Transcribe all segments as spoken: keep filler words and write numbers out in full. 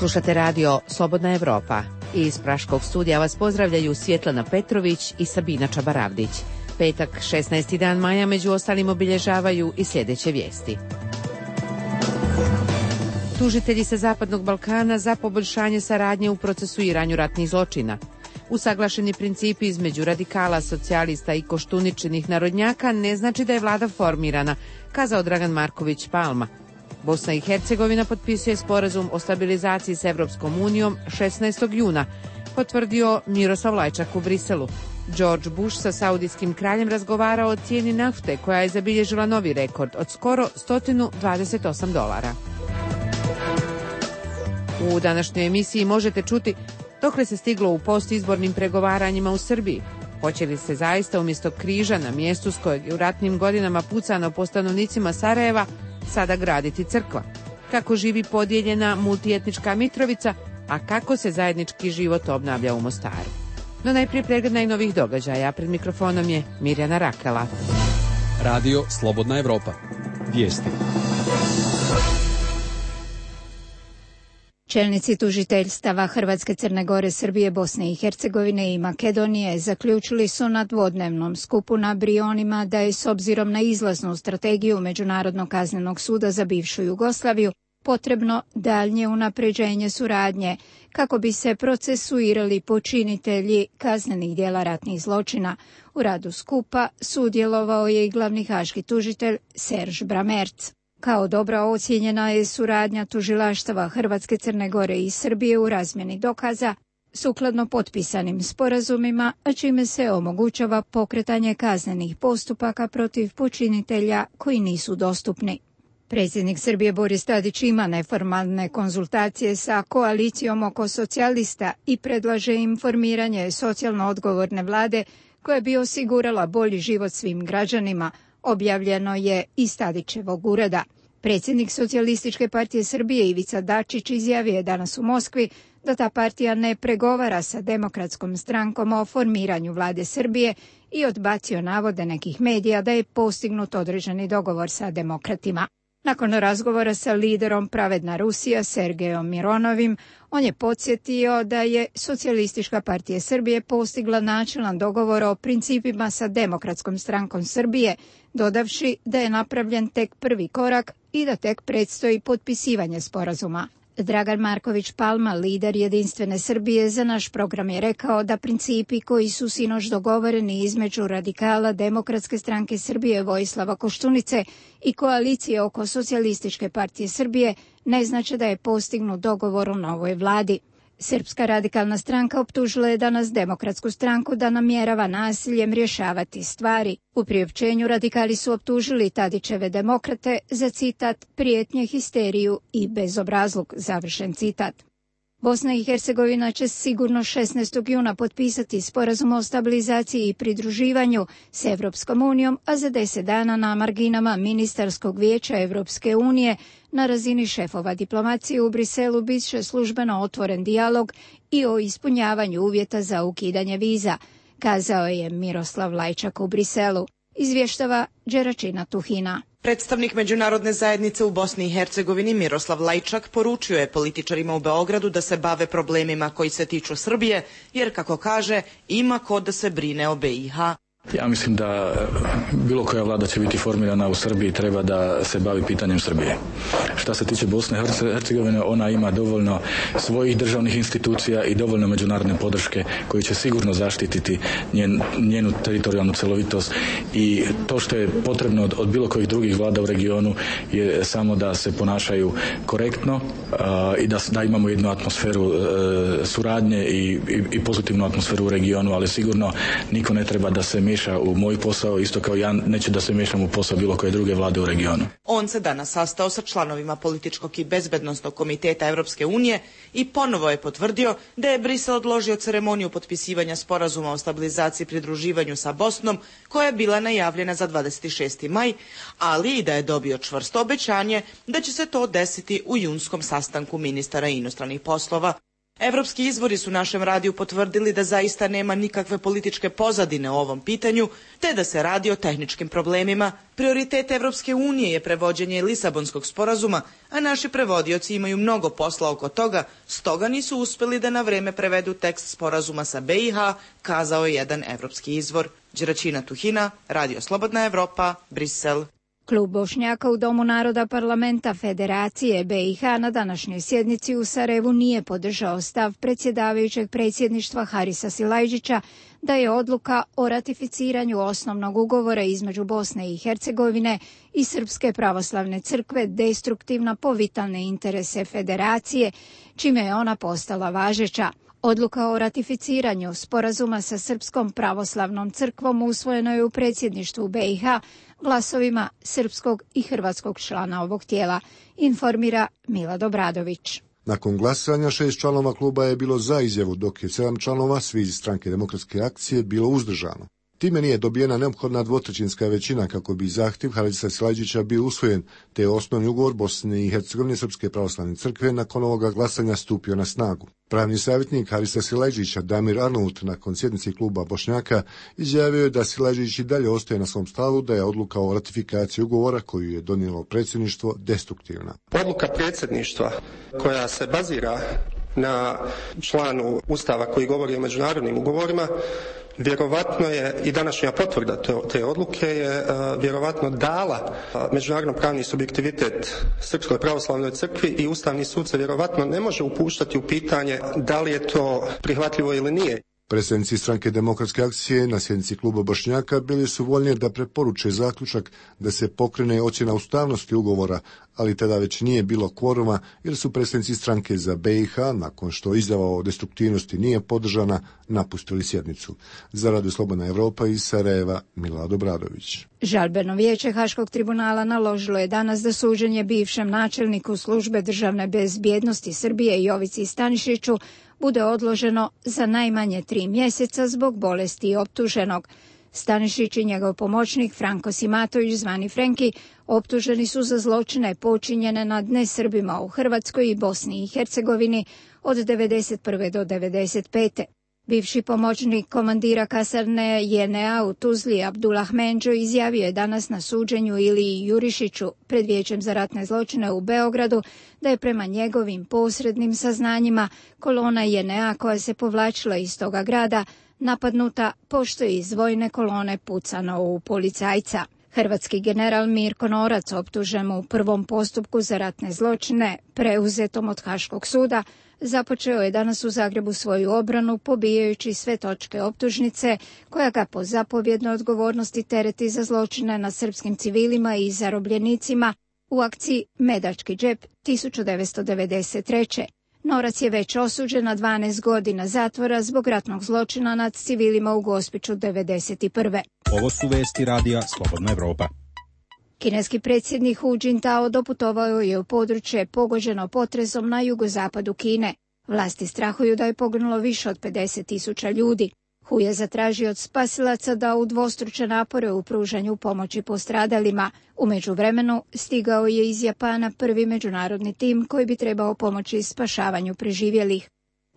Slušate radio Slobodna Evropa. Iz Praškog studija vas pozdravljaju Svjetlana Petrović i Sabina Čabaravdić. Petak, šesnaesti dan maja, među ostalim obilježavaju i sljedeće vijesti. Tužitelji sa Zapadnog Balkana za poboljšanje saradnje u procesuiranju ratnih zločina. Usaglašeni principi između radikala, socijalista i koštuničenih narodnjaka ne znači da je vlada formirana, kazao Dragan Marković Palma. Bosna i Hercegovina potpisuje sporazum o stabilizaciji s Evropskom unijom šesnaestog juna, potvrdio Miroslav Lajčak u Briselu. George Bush sa saudijskim kraljem razgovarao o cijeni nafte koja je zabilježila novi rekord od skoro sto dvadeset osam dolara. U današnjoj emisiji možete čuti dokle se stiglo u postizbornim pregovaranjima u Srbiji. Hoće li se zaista umjesto križa na mjestu s kojeg je u ratnim godinama pucano po stanovnicima Sarajeva sada graditi crkva? Kako živi podijeljena multietnička Mitrovica, a kako se zajednički život obnavlja u Mostaru? No najprije pregled najnovih događaja. Pred mikrofonom je Mirjana Rakela. Radio Slobodna Evropa. Vijesti. Čelnici tužiteljstava Hrvatske, Crne Gore, Srbije, Bosne i Hercegovine i Makedonije zaključili su na dvodnevnom skupu na Brionima da je s obzirom na izlaznu strategiju Međunarodnog kaznenog suda za bivšu Jugoslaviju potrebno daljnje unapređenje suradnje kako bi se procesuirali počinitelji kaznenih djela ratnih zločina. U radu skupa sudjelovao je i glavni haški tužitelj Serž Bramerc. Kao dobra ocijenjena je suradnja tužilaštava Hrvatske, Crne Gore i Srbije u razmjeni dokaza sukladno potpisanim sporazumima, a čime se omogućava pokretanje kaznenih postupaka protiv počinitelja koji nisu dostupni. Predsjednik Srbije Boris Tadić ima neformalne konzultacije sa koalicijom oko socijalista i predlaže im formiranje socijalno odgovorne vlade koja bi osigurala bolji život svim građanima, objavljeno je iz Tadićevog ureda. Predsjednik Socijalističke partije Srbije Ivica Dačić izjavio je danas u Moskvi da ta partija ne pregovara sa Demokratskom strankom o formiranju vlade Srbije i odbacio navode nekih medija da je postignut određeni dogovor sa demokratima. Nakon razgovora sa liderom Pravedna Rusija Sergejom Mironovim, on je podsjetio da je Socijalistička partija Srbije postigla načelan dogovor o principima sa Demokratskom strankom Srbije, dodavši da je napravljen tek prvi korak i da tek predstoji potpisivanje sporazuma. Dragan Marković Palma, lider Jedinstvene Srbije, za naš program je rekao da principi koji su sinoć dogovoreni između radikala Demokratske stranke Srbije Vojislava Koštunice i koalicije oko Socijalističke partije Srbije ne znači da je postignut dogovor u novoj vladi. Srpska radikalna stranka optužila je danas Demokratsku stranku da namjerava nasiljem rješavati stvari. U priopćenju radikali su optužili Tadićeve demokrate za citat prijetnje, histeriju i bezobrazluk, završen citat. Bosna i Hercegovina će sigurno šesnaestog juna potpisati sporazum o stabilizaciji i pridruživanju s Evropskom unijom, a za deset dana na marginama Ministarskog vijeća Evropske unije na razini šefova diplomacije u Briselu bit će službeno otvoren dijalog i o ispunjavanju uvjeta za ukidanje viza, kazao je Miroslav Lajčak u Briselu. Izvještava Đeračina Tuhina. Predstavnik međunarodne zajednice u Bosni i Hercegovini Miroslav Lajčak poručio je političarima u Beogradu da se bave problemima koji se tiču Srbije, jer, kako kaže, ima ko da se brine o be i ha. Ja mislim da bilo koja vlada će biti formirana u Srbiji treba da se bavi pitanjem Srbije. Šta se tiče Bosne i Hercegovine, ona ima dovoljno svojih državnih institucija i dovoljno međunarodne podrške koji će sigurno zaštititi njen, njenu teritorijalnu celovitost, i to što je potrebno od, od bilo kojih drugih vlada u regionu je samo da se ponašaju korektno uh, i da, da imamo jednu atmosferu uh, suradnje i, i, i pozitivnu atmosferu u regionu, ali sigurno niko ne treba da se miješa u moj posao, isto kao ja neću da se miješam u posao bilo koje druge vlade u regionu. On se danas sastao sa članovima političkog i bezbednosnog komiteta Evropske unije i ponovo je potvrdio da je Brisel odložio ceremoniju potpisivanja sporazuma o stabilizaciji i pridruživanju sa Bosnom, koja je bila najavljena za dvadeset šesti maj, ali i da je dobio čvrsto obećanje da će se to desiti u junskom sastanku ministara inostranih poslova. Evropski izvori su našem radiju potvrdili da zaista nema nikakve političke pozadine o ovom pitanju, te da se radi o tehničkim problemima. Prioritet Evropske unije je prevođenje Lisabonskog sporazuma, a naši prevodioci imaju mnogo posla oko toga, stoga nisu uspeli da na vreme prevedu tekst sporazuma sa B i H, kazao je jedan evropski izvor. Đeračina Tuhina, Radio Slobodna Evropa, Brisel. Klub Bošnjaka u Domu naroda parlamenta Federacije B i H na današnjoj sjednici u Sarajevu nije podržao stav predsjedavajućeg predsjedništva Harisa Silajdžića da je odluka o ratificiranju osnovnog ugovora između Bosne i Hercegovine i Srpske pravoslavne crkve destruktivna po vitalne interese Federacije, čime je ona postala važeća. Odluka o ratificiranju sporazuma sa Srpskom pravoslavnom crkvom usvojeno je u predsjedništvu B i H glasovima srpskog i hrvatskog člana ovog tijela, informira Milad Obradović. Nakon glasanja šest članova kluba je bilo za izjavu, dok je sedam članova, svi iz Stranke demokratske akcije, bilo uzdržano. Time nije dobijena neophodna dvotrećinska većina kako bi zahtjev Harisa Silajdžića bio usvojen, te je osnovni ugovor Bosne i Hercegovine Srpske pravoslavne crkve nakon ovoga glasanja stupio na snagu. Pravni savjetnik Harisa Silajdžića, Damir Arnaut, nakon sjednice kluba Bošnjaka, izjavio je da Silajdžić i dalje ostaje na svom stavu da je odluka o ratifikaciji ugovora koju je donijelo predsjedništvo destruktivna. Odluka predsjedništva koja se bazira na članu Ustava koji govori o međunarodnim ugovorima, vjerovatno je i današnja potvrda te odluke je vjerovatno dala međunarodno pravni subjektivitet Srpskoj pravoslavnoj crkvi i Ustavni sud se vjerovatno ne može upuštati u pitanje da li je to prihvatljivo ili nije. Predstavnici Stranke demokratske akcije na sjednici kluba Bošnjaka bili su voljni da preporuče zaključak da se pokrene ocjena ustavnosti ugovora, ali tada već nije bilo kvoruma jer su predstavnici stranke za B i H, nakon što izjava o destruktivnosti nije podržana, napustili sjednicu. Za Radio Slobodna Evropa iz Sarajeva, Milad Obradović. Žalbeno vijeće Haškog tribunala naložilo je danas da suđenje bivšem načelniku službe državne bezbjednosti Srbije Jovici Stanišiću bude odloženo za najmanje tri mjeseca zbog bolesti optuženog. Stanišić i njegov pomoćnik Franko Simatović, zvani Frenki, optuženi su za zločine počinjene nad nesrbima u Hrvatskoj i Bosni i Hercegovini od devedeset prve do devedeset pete Bivši pomoćnik komandira kasarne J N A u Tuzli Abdullah Menđo izjavio je danas na suđenju Iliji Jurišiću pred Vijećem za ratne zločine u Beogradu da je prema njegovim posrednim saznanjima kolona J N A koja se povlačila iz toga grada napadnuta pošto je iz vojne kolone pucano u policajca. Hrvatski general Mirko Norac, optužen u prvom postupku za ratne zločine preuzetom od Haškog suda, započeo je danas u Zagrebu svoju obranu pobijajući sve točke optužnice koja ga po zapovjednoj odgovornosti tereti za zločine nad srpskim civilima i zarobljenicima u akciji Medački džep tisuću devetsto devedeset treće Norac je već osuđen na dvanaest godina zatvora zbog ratnog zločina nad civilima u Gospiću devedeset prve Ovo su vesti Radija Slobodna Evropa. Kineski predsjednik Hu Jintao doputovao je u područje pogođeno potresom na jugozapadu Kine. Vlasti strahuju da je poginulo više od pedeset tisuća ljudi. Hu je zatražio od spasilaca da udvostruče napore u pružanju pomoći postradalima. U međuvremenu stigao je iz Japana prvi međunarodni tim koji bi trebao pomoći spašavanju preživjelih.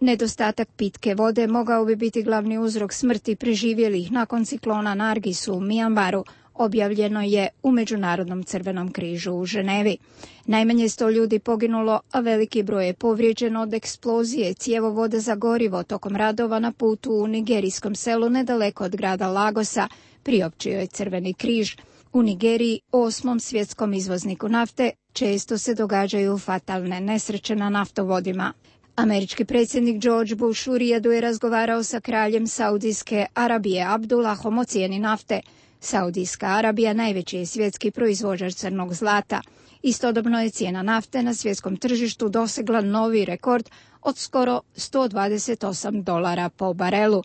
Nedostatak pitke vode mogao bi biti glavni uzrok smrti preživjelih nakon ciklona Nargisu u Mijanmaru, objavljeno je u Međunarodnom crvenom križu u Ženevi. Najmanje sto ljudi poginulo, a veliki broj je povrijeđen od eksplozije cjevovoda za gorivo tokom radova na putu u nigerijskom selu nedaleko od grada Lagosa, priopćio je Crveni križ. U Nigeriji, osmom svjetskom izvozniku nafte, često se događaju fatalne nesreće na naftovodima. Američki predsjednik George Bush u Rijadu je razgovarao sa kraljem Saudijske Arabije Abdullahom o cijeni nafte. Saudijska Arabija najveći je svjetski proizvođač crnog zlata. Istodobno je cijena nafte na svjetskom tržištu dosegla novi rekord od skoro sto dvadeset osam dolara po barelu.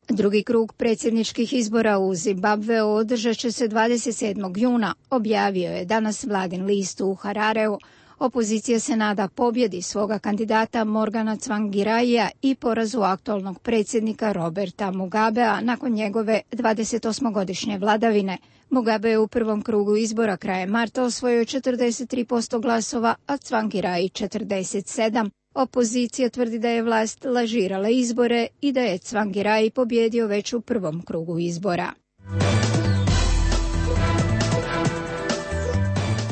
Drugi krug predsjedničkih izbora u Zimbabveu održat će se dvadeset sedmog juna, objavio je danas vladin list u Harareu. Opozicija se nada pobjedi svoga kandidata Morgana Tsvangiraija i porazu aktualnog predsjednika Roberta Mugabea nakon njegove dvadesetosmogodišnje vladavine. Mugabe je u prvom krugu izbora krajem marta osvojio četrdeset tri posto glasova, a Tsvangirai četrdeset sedam. Opozicija tvrdi da je vlast lažirala izbore i da je Cvangiraj pobjedio već u prvom krugu izbora.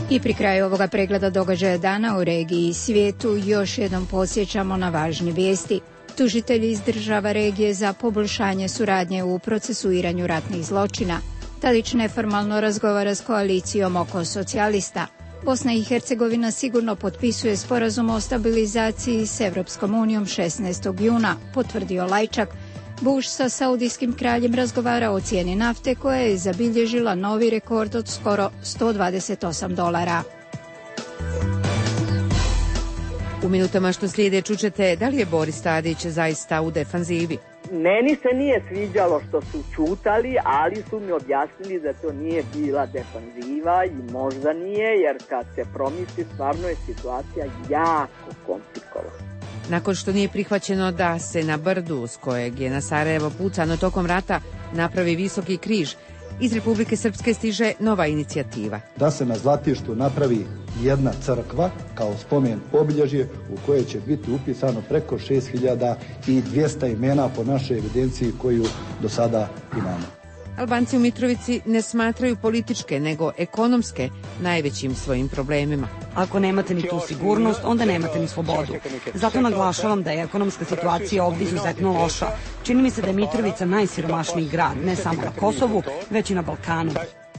I pri kraju ovoga pregleda događaja dana u regiji i svijetu još jednom podsjećamo na važne vijesti. Tužitelji iz država regije za poboljšanje suradnje u procesuiranju ratnih zločina. Tadić neformalno razgovara s koalicijom oko socijalista. Bosna i Hercegovina sigurno potpisuje sporazum o stabilizaciji s Evropskom unijom šesnaestog juna, potvrdio Lajčak. Bush sa saudijskim kraljem razgovara o cijeni nafte koja je zabilježila novi rekord od skoro sto dvadeset osam dolara. U minutama što slijede čućete da li je Boris Tadić zaista u defanzivi. Meni se nije sviđalo što su čutali, ali su mi objasnili da to nije bila defanziva i možda nije, jer kad se promisli stvarno je situacija jako komplikovana. Nakon što nije prihvaćeno da se na brdu s kojeg je na Sarajevo pucano tokom rata napravi visoki križ, iz Republike Srpske stiže nova inicijativa. Da se na Zlatištu napravi jedna crkva kao spomen obilježje u koje će biti upisano preko šest hiljada dvjesto imena po našoj evidenciji koju do sada imamo. Albanci u Mitrovici ne smatraju političke, nego ekonomske najvećim svojim problemima. Ako nemate ni tu sigurnost, onda nemate ni slobodu. Zato naglašavam da je ekonomska situacija ovdje izuzetno loša. Čini mi se da je Mitrovica najsiromašniji grad, ne samo na Kosovu, već i na Balkanu.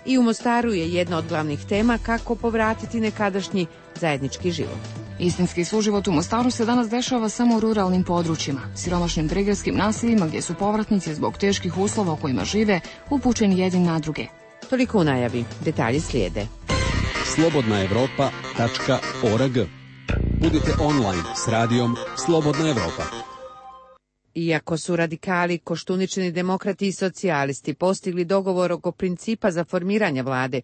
I u Mostaru je jedna od glavnih tema kako povratiti nekadašnji zajednički život. Istinski suživot u Mostaru se danas dešava samo u ruralnim područjima, siromašnim prigradskim naseljima gdje su povratnici zbog teških uslova u kojima žive upućeni jedni na druge. Toliko u najavi, detalji slijede. slobodna evropa tačka org. Budite online s radijom Slobodna Evropa. Iako su radikali, Koštuničini demokrati i socijalisti postigli dogovor oko principa za formiranje vlade,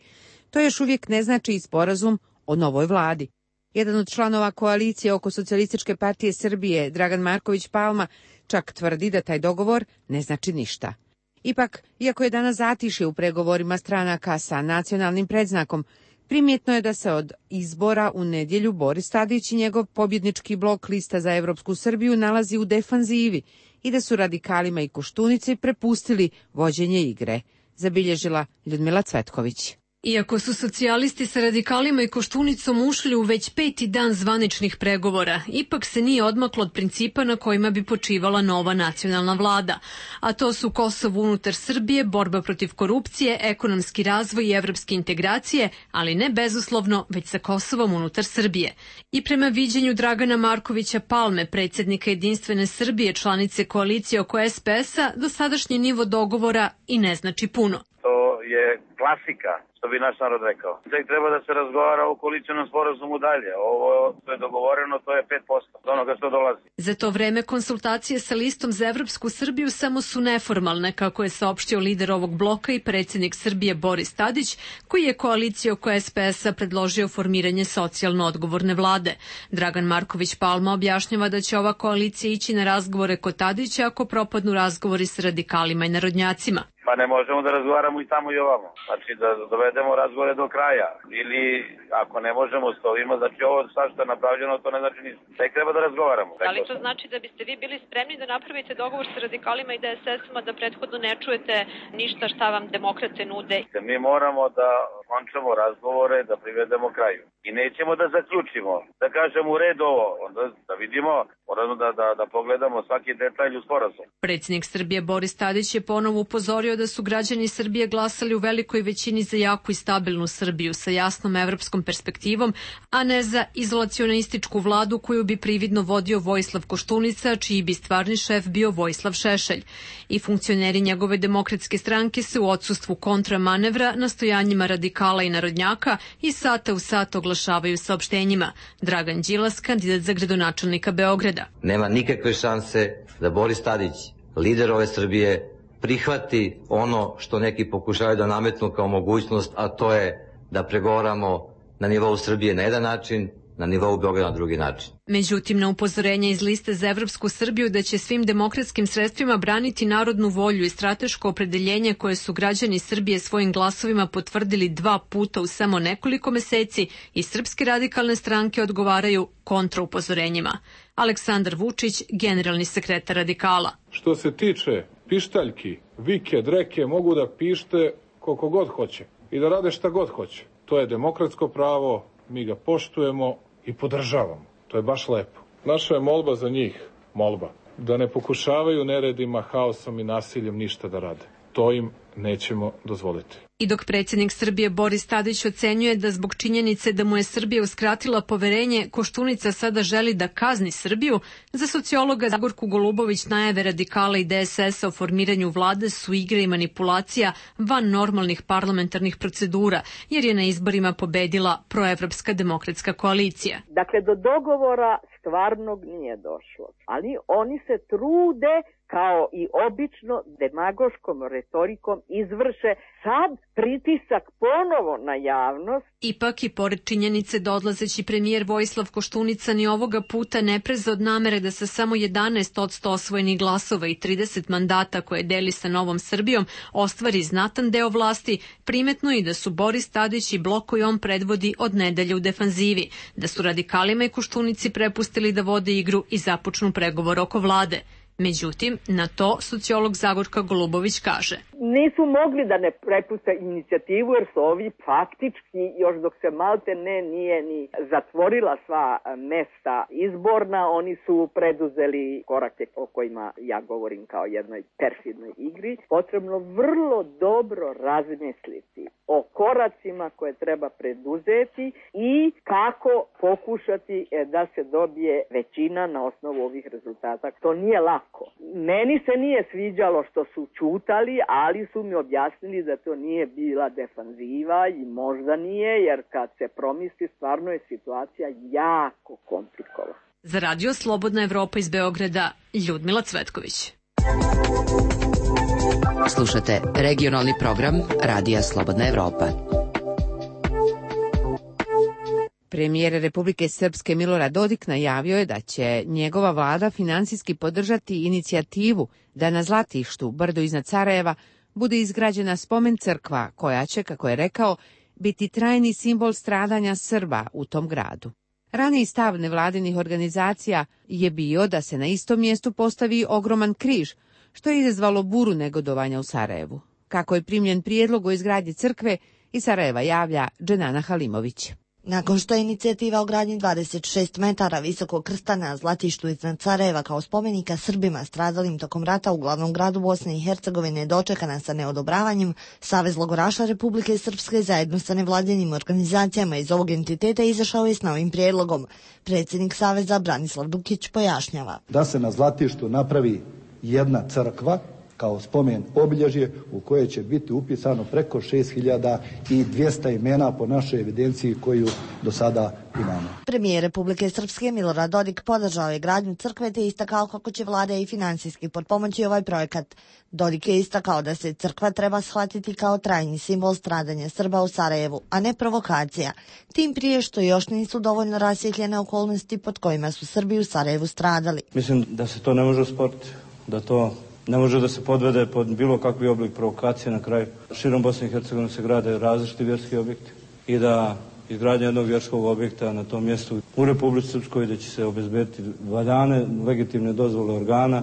to još uvijek ne znači i sporazum o novoj vladi. Jedan od članova koalicije oko Socijalističke partije Srbije, Dragan Marković Palma, čak tvrdi da taj dogovor ne znači ništa. Ipak, iako je danas zatišje u pregovorima stranaka sa nacionalnim predznakom, primjetno je da se od izbora u nedjelju Boris Tadić i njegov pobjednički blok Lista za Evropsku Srbiju nalazi u defanzivi i da su radikalima i Koštunici prepustili vođenje igre, zabilježila Ljudmila Cvetković. Iako su socijalisti sa radikalima i Koštunicom ušli u već peti dan zvaničnih pregovora, ipak se nije odmaklo od principa na kojima bi počivala nova nacionalna vlada. A to su Kosovo unutar Srbije, borba protiv korupcije, ekonomski razvoj i evropske integracije, ali ne bezuslovno, već sa Kosovom unutar Srbije. I prema viđenju Dragana Markovića Palme, predsjednika Jedinstvene Srbije, članice koalicije oko es pe es-a, dosadašnji nivo dogovora i ne znači puno. To je klasika, što bi naš narod rekao. Tek treba da se razgovara o koalicionom sporazumu dalje. Ovo što je dogovoreno, to je pet posto od onoga što dolazi. Za to vreme konsultacije sa Listom za Evropsku Srbiju samo su neformalne, kako je saopštio lider ovog bloka i predsjednik Srbije Boris Tadić, koji je koaliciju oko es pe es-a predložio formiranje socijalno odgovorne vlade. Dragan Marković Palma objašnjava da će ova koalicija ići na razgovore kod Tadića ako propadnu razgovori s radikalima i narodnjacima. Pa ne možemo da razgovaramo i tamo i ovamo. Znači da dovedemo razgovore do kraja. Ili ako ne možemo s ovima, znači ovo sad što je napravljeno, to ne znači ništa. Tek treba da razgovaramo. Da li to znači da biste vi bili spremni da napravite dogovor sa radikalima i de es es-ima, da prethodno ne čujete ništa šta vam demokrate nude? Mi moramo da končamo razgovore, da privedemo kraju. I nećemo da zaključimo, da kažemo u redu ovo, onda da vidimo, moramo da, da, da pogledamo svaki detalj u sporazum. Predsjednik Srbije Boris Tadić je ponovo upozorio da su građani Srbije glasali u velikoj većini za jaku i stabilnu Srbiju sa jasnom evropskom perspektivom, a ne za izolacionističku vladu koju bi prividno vodio Vojislav Koštunica, čiji bi stvarni šef bio Vojislav Šešelj. I funkcioneri njegove demokratske stranke se u odsustvu kontramanevra, nastojanjima radikala i narodnjaka i sata u sat oglašavaju saopštenjima. Dragan Đilas, kandidat za gradonačelnika Beograda. Nema nikakve šanse da Boris Tadić, lider ove Srbije, prihvati ono što neki pokušaju da nametnu kao mogućnost, a to je da pregovaramo na nivou Srbije na jedan način, na nivou Beograda na drugi način. Međutim, na upozorenje iz liste za Evropsku Srbiju da će svim demokratskim sredstvima braniti narodnu volju i strateško opredeljenje koje su građani Srbije svojim glasovima potvrdili dva puta u samo nekoliko meseci i Srpske radikalne stranke odgovaraju kontraupozorenjima. Aleksandar Vučić, generalni sekretar Radikala. Što se tiče pištaljki, vike, dreke, mogu da pište koliko god hoće i da rade šta god hoće. To je demokratsko pravo, mi ga poštujemo i podržavamo. To je baš lepo. Naša je molba za njih, molba, da ne pokušavaju neredima, haosom i nasiljem ništa da rade. To im nećemo dozvoliti. I dok predsjednik Srbije Boris Tadić ocenjuje da zbog činjenice da mu je Srbija uskratila poverenje, Koštunica sada želi da kazni Srbiju, za sociologa Zagorku Golubović najave Radikala i D S S-a o formiranju vlade su igre i manipulacija van normalnih parlamentarnih procedura, jer je na izborima pobedila proevropska demokratska koalicija. Dakle, do dogovora stvarnog nije došlo, ali oni se trude kao i obično demagoškom retorikom izvrše sad pritisak ponovo na javnost. Ipak i pored činjenice da odlazeći premijer Vojislav Koštunica ni ovoga puta ne preza od namere da sa samo jedanaest posto osvojenih glasova i trideset mandata koje deli sa Novom Srbijom ostvari znatan deo vlasti, primetno i da su Boris Tadić i blok koji on predvodi od nedelje u defanzivi, da su radikalima i Koštunici prepustili da vode igru i započnu pregovor oko vlade. Međutim, na to sociolog Zagorka Golubović kaže. Nisu mogli da ne prepuste inicijativu jer su ovi faktički, još dok se malte ne nije ni zatvorila sva mesta izborna, oni su preduzeli korake o kojima ja govorim kao jednoj perfidnoj igri. Potrebno vrlo dobro razmisliti o koracima koje treba preduzeti i kako pokušati da se dobije većina na osnovu ovih rezultata. To nije lako. Meni se nije sviđalo što su čutali, ali su mi objasnili da to nije bila defanziva i možda nije, jer kad se promisli stvarno je situacija jako komplikovana. Za radio Slobodna Evropa iz Beograda, Ljudmila Cvetković. Slušate regionalni program Radija Slobodna Evropa. Premijer Republike Srpske Milorad Dodik najavio je da će njegova vlada finansijski podržati inicijativu da na Zlatištu, brdo iznad Sarajeva, bude izgrađena spomen crkva koja će, kako je rekao, biti trajni simbol stradanja Srba u tom gradu. Raniji stav nevladinih organizacija je bio da se na istom mjestu postavi ogroman križ, što je izazvalo buru negodovanja u Sarajevu. Kako je primljen prijedlog o izgradnji crkve, iz Sarajeva javlja Dženana Halimović. Nakon što je inicijativa o gradnji dvadeset šest metara visokog krsta na Zlatištu iznad Sarajeva kao spomenika Srbima stradalim tokom rata u glavnom gradu Bosne i Hercegovine dočekana sa neodobravanjem, Savez logoraša Republike Srpske zajedno sa nevladinim organizacijama iz ovog entiteta izašao je s novim prijedlogom. Predsjednik Saveza Branislav Dukić pojašnjava. Da se na Zlatištu napravi jedna crkva kao spomen obilježje u koje će biti upisano preko šest hiljada dvjesto imena po našoj evidenciji koju do sada imamo. Premijer Republike Srpske Milorad Dodik podržao je gradnju crkve te istakao kako će vlada i finansijski potpomoći ovaj projekat. Dodik je istakao da se crkva treba shvatiti kao trajni simbol stradanja Srba u Sarajevu, a ne provokacija. Tim prije što još nisu dovoljno rasvjetljene okolnosti pod kojima su Srbi u Sarajevu stradali. Mislim da se to ne može usporiti, da to ne može da se podvede pod bilo kakvi oblik provokacije. Na kraju širom Bosne i Hercegovine se grade različiti vjerski objekti i da izgradnja jednog vjerskog objekta na tom mjestu u Republici Srpskoj da će se obezbediti valjane legitimne dozvole organa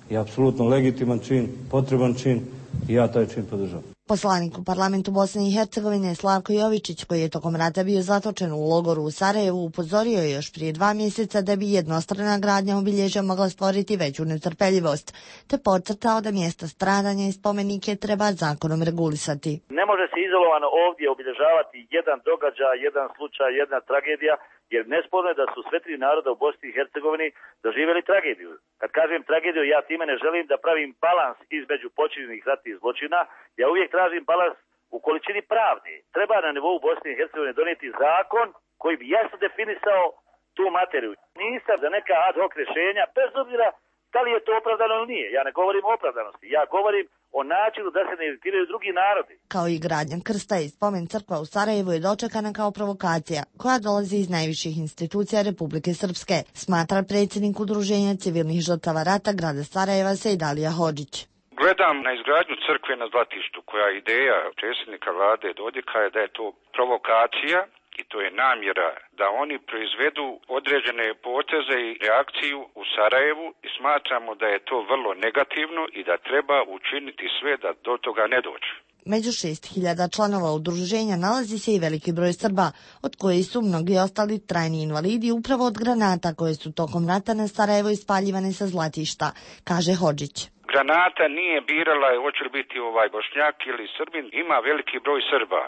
je apsolutno legitiman čin, potreban čin i ja taj čin podržavam. Poslanik u parlamentu Bosne i Hercegovine Slavko Jovičić, koji je tokom rata bio zatočen u logoru u Sarajevu, upozorio je još prije dva mjeseca da bi jednostrana gradnja obilježja mogla stvoriti veću netrpeljivost, te podcrtao da mjesta stradanja i spomenike treba zakonom regulisati. Ne može se izolovano ovdje obilježavati jedan događaj, jedan slučaj, jedna tragedija, jer nesporno je da su sve tri naroda u Bosni i Hercegovini doživjeli tragediju. Kad kažem tragediju, ja time ne želim da pravim balans između počinjenih ratnih zločina. Ja uvijek tražim balans u količini pravde. Treba na nivou Bosne i Hercegovine donijeti zakon koji bi jasno definisao tu materiju. Nisam za neka ad hoc rješenja, bez obzira da li je to opravdano ili nije. Ja ne govorim o opravdanosti. Ja govorim o načinu da se ne iritiraju drugi narodi. Kao i gradnja krsta i spomen crkva u Sarajevu je dočekana kao provokacija koja dolazi iz najviših institucija Republike Srpske, smatra predsjednik Udruženja civilnih žrtava rata grada Sarajeva Sejdalija Hodžić. Gledam na izgradnju crkve na Zlatištu, koja ideja predsjednika vlade Dodika je da je to provokacija i to je namjera da oni proizvedu određene poteze i reakciju u Sarajevu i smatramo da je to vrlo negativno i da treba učiniti sve da do toga ne dođe. Među šest hiljada članova udruženja nalazi se i veliki broj Srba, od kojih su mnogi ostali trajni invalidi upravo od granata koje su tokom rata na Sarajevo ispaljivane sa Zlatišta, kaže Hodžić. Granata nije birala hoće li biti ovaj Bošnjak ili Srbin, ima veliki broj Srba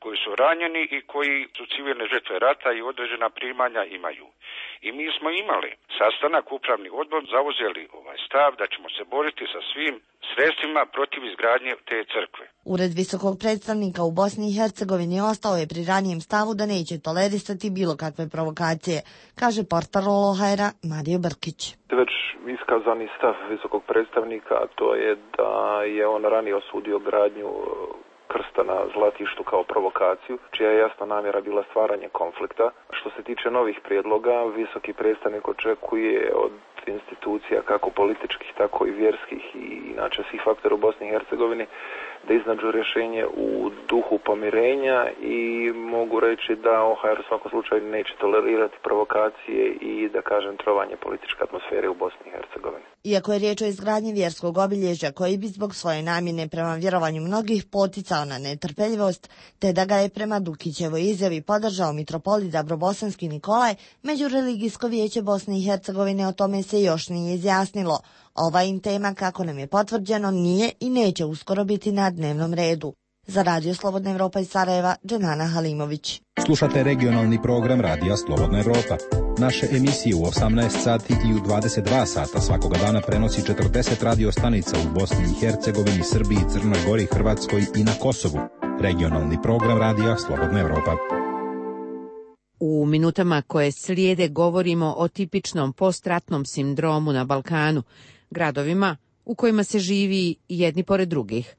koji su ranjeni i koji su civilne žrtve rata i određena primanja imaju. I mi smo imali sastanak, upravni odbor, zauzeli ovaj stav da ćemo se boriti sa svim sredstvima protiv izgradnje te crkve. Ured visokog predstavnika u Bosni i Hercegovini ostao je pri ranijem stavu da neće tolerisati bilo kakve provokacije, kaže portparol O H R-a Mario Brkić. Već iskazani stav visokog predstavnika, to je da je on ranije osudio gradnju krsta na Zlatištu kao provokaciju, čija je jasna namjera bila stvaranje konflikta. Što se tiče novih prijedloga, visoki predstavnik očekuje od institucija kako političkih, tako i vjerskih i inače svih faktora u Bosni i Hercegovini da iznađu rješenje u duhu pomirenja i mogu reći da O H R u svakom slučaju neće tolerirati provokacije i da kažem trovanje političke atmosfere u Bosni i Hercegovini. Iako je riječ o izgradnji vjerskog obilježja koji bi zbog svoje namjene prema vjerovanju mnogih poticao na netrpeljivost, te da ga je prema Dukićevoj izjavi podržao mitropolit Dabrobosanski Nikolaj, Međureligijsko vijeće Bosne i Hercegovine o tome se još nije izjasnilo. Ova im tema, kako nam je potvrđeno, nije i neće uskoro biti na dnevnom redu. Za Radio Slobodna Evropa iz Sarajeva, Dženana Halimović. Slušate regionalni program Radija Slobodna Evropa. Naše emisije u osamnaest sati i u dvadeset dva sata svakoga dana prenosi četrdeset radio stanica u Bosni i Hercegovini, Srbiji, Crnoj Gori, Hrvatskoj i na Kosovu. Regionalni program Radija Slobodna Evropa. U minutama koje slijede govorimo o tipičnom postratnom sindromu na Balkanu, gradovima u kojima se živi jedni pored drugih.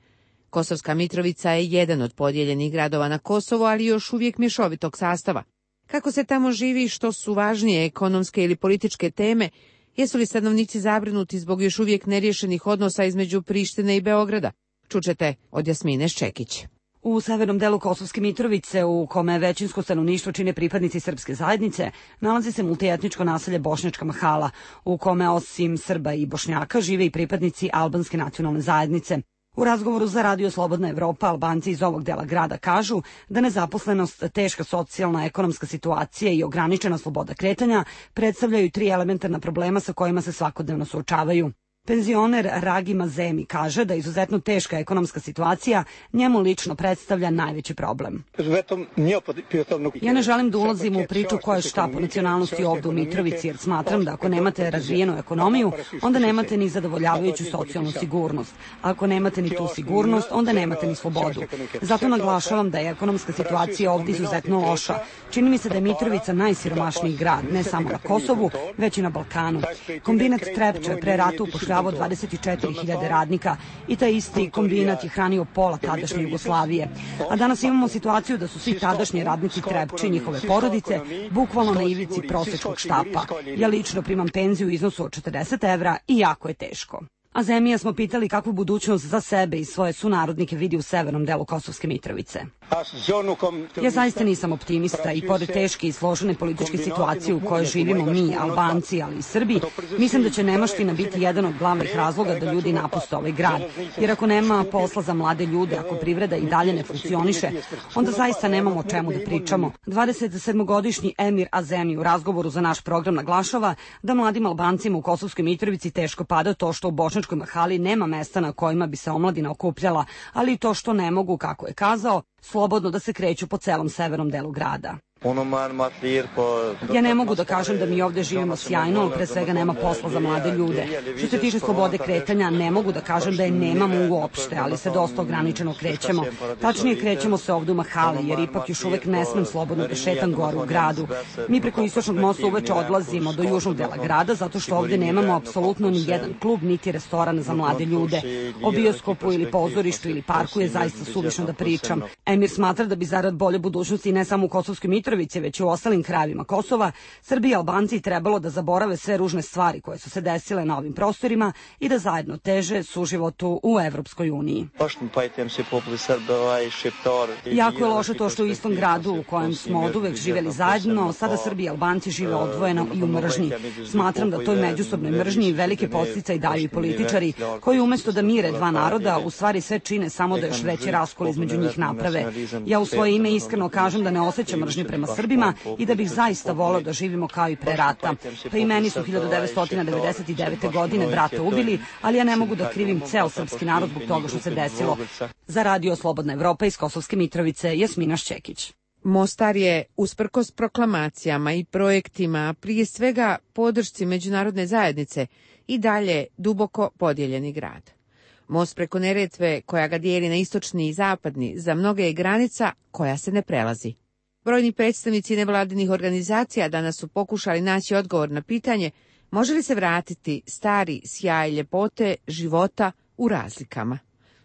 Kosovska Mitrovica je jedan od podijeljenih gradova na Kosovo, ali još uvijek mješovitog sastava. Kako se tamo živi, što su važnije ekonomske ili političke teme, jesu li stanovnici zabrinuti zbog još uvijek neriješenih odnosa između Prištine i Beograda? Čućete od Jasmine Ščekić. U severnom delu Kosovske Mitrovice, u kome većinsko stanovništvo čine pripadnici srpske zajednice, nalazi se multietničko naselje Bošnjačka Mahala, u kome osim Srba i Bošnjaka žive i pripadnici albanske nacionalne zajednice. U razgovoru za Radio Slobodna Evropa Albanci iz ovog dela grada kažu da nezaposlenost, teška socijalna ekonomska situacija i ograničena sloboda kretanja predstavljaju tri elementarna problema sa kojima se svakodnevno suočavaju. Penzioner Ragi Mazemi kaže da izuzetno teška ekonomska situacija njemu lično predstavlja najveći problem. Ja ne želim da ulazim u priču koja je šta po nacionalnosti ovdje u Mitrovici, jer smatram da ako nemate razvijenu ekonomiju, onda nemate ni zadovoljavajuću socijalnu sigurnost. Ako nemate ni tu sigurnost, onda nemate ni slobodu. Zato naglašavam da je ekonomska situacija ovdje izuzetno loša. Čini mi se da je Mitrovica najsiromašniji grad, ne samo na Kosovu, već i na Balkanu. Kombinat Trepča je pre rata upošljavao dvadeset četiri hiljade radnika i taj isti kombinat je hranio pola tadašnje Jugoslavije. A danas imamo situaciju da su svi tadašnji radnici Trepče i njihove porodice bukvalno na ivici prosječkog štapa. Ja lično primam penziju u iznosu od četrdeset evra i jako je teško. A Zemija smo pitali kakvu budućnost za sebe i svoje sunarodnike vidi u severnom delu Kosovske Mitrovice. Ja zaista nisam optimista i pored teške i složene političke situacije u kojoj živimo mi, Albanci, ali i Srbi, mislim da će nemaština biti jedan od glavnih razloga da ljudi napuste ovaj grad. Jer ako nema posla za mlade ljude, ako privreda i dalje ne funkcioniše, onda zaista nemamo o čemu da pričamo. dvadesetsedmogodišnji Emir Azemi u razgovoru za naš program naglašava da mladim Albancima u Kosovskoj Mitrovici teško pada to što u Bošnjačkoj Mahali nema mesta na kojima bi se omladina okupljala, ali i to što ne mogu, kako je kazao, slobodno da se kreću po celom severnom delu grada. Ja ne mogu da kažem da mi ovde živimo sjajno, ali pre svega nema posla za mlade ljude. Što se tiče slobode kretanja, ne mogu da kažem da je nemamo uopšte, ali se dosta ograničeno krećemo. Tačnije, krećemo se ovde u mahali, jer ipak još uvek ne smem slobodno da šetam gore u gradu. Mi preko Istočnog mosta uveče odlazimo do južnog dela grada, zato što ovde nemamo apsolutno ni jedan klub, niti restoran za mlade ljude. O bioskopu ili pozorištu ili parku je zaista suvišno da pričam. Emir smatra da bi zarad bolje budućnosti ne samo u Kosovskoj Mitrovici, već i u ostalim krajevima Kosova, Srbi i Albanci trebalo da zaborave sve ružne stvari koje su se desile na ovim prostorima i da zajedno teže suživotu u Evropskoj uniji. Jako je loše to što u istom gradu u kojem smo oduvek živeli zajedno, sada Srbi i Albanci žive odvojeno i u mržnji. Smatram da toj međusobnoj mržnji velike podsticaje daju i političari, koji umesto da mire dva naroda, u stvari sve čine samo da još veći raskol između njih naprave. Ja u svoje ime iskreno kažem da ne osjećam mržnju prema Srbima i da bih zaista voleo da živimo kao i pre rata. Pa i meni su hiljadu devetsto devedeset devete. godine brata ubili, ali ja ne mogu da krivim ceo srpski narod zbog toga što se desilo. Za Radio Slobodna Evropa iz Kosovske Mitrovice, Jasmina Šćekić. Mostar je, usprkos proklamacijama i projektima, prije svega podršci međunarodne zajednice, i dalje duboko podijeljeni grad. Most preko Neretve, koja ga dijeli na istočni i zapadni, za mnoge je granica koja se ne prelazi. Brojni predstavnici nevladinih organizacija danas su pokušali naći odgovor na pitanje može li se vratiti stari sjaj ljepote života u razlikama.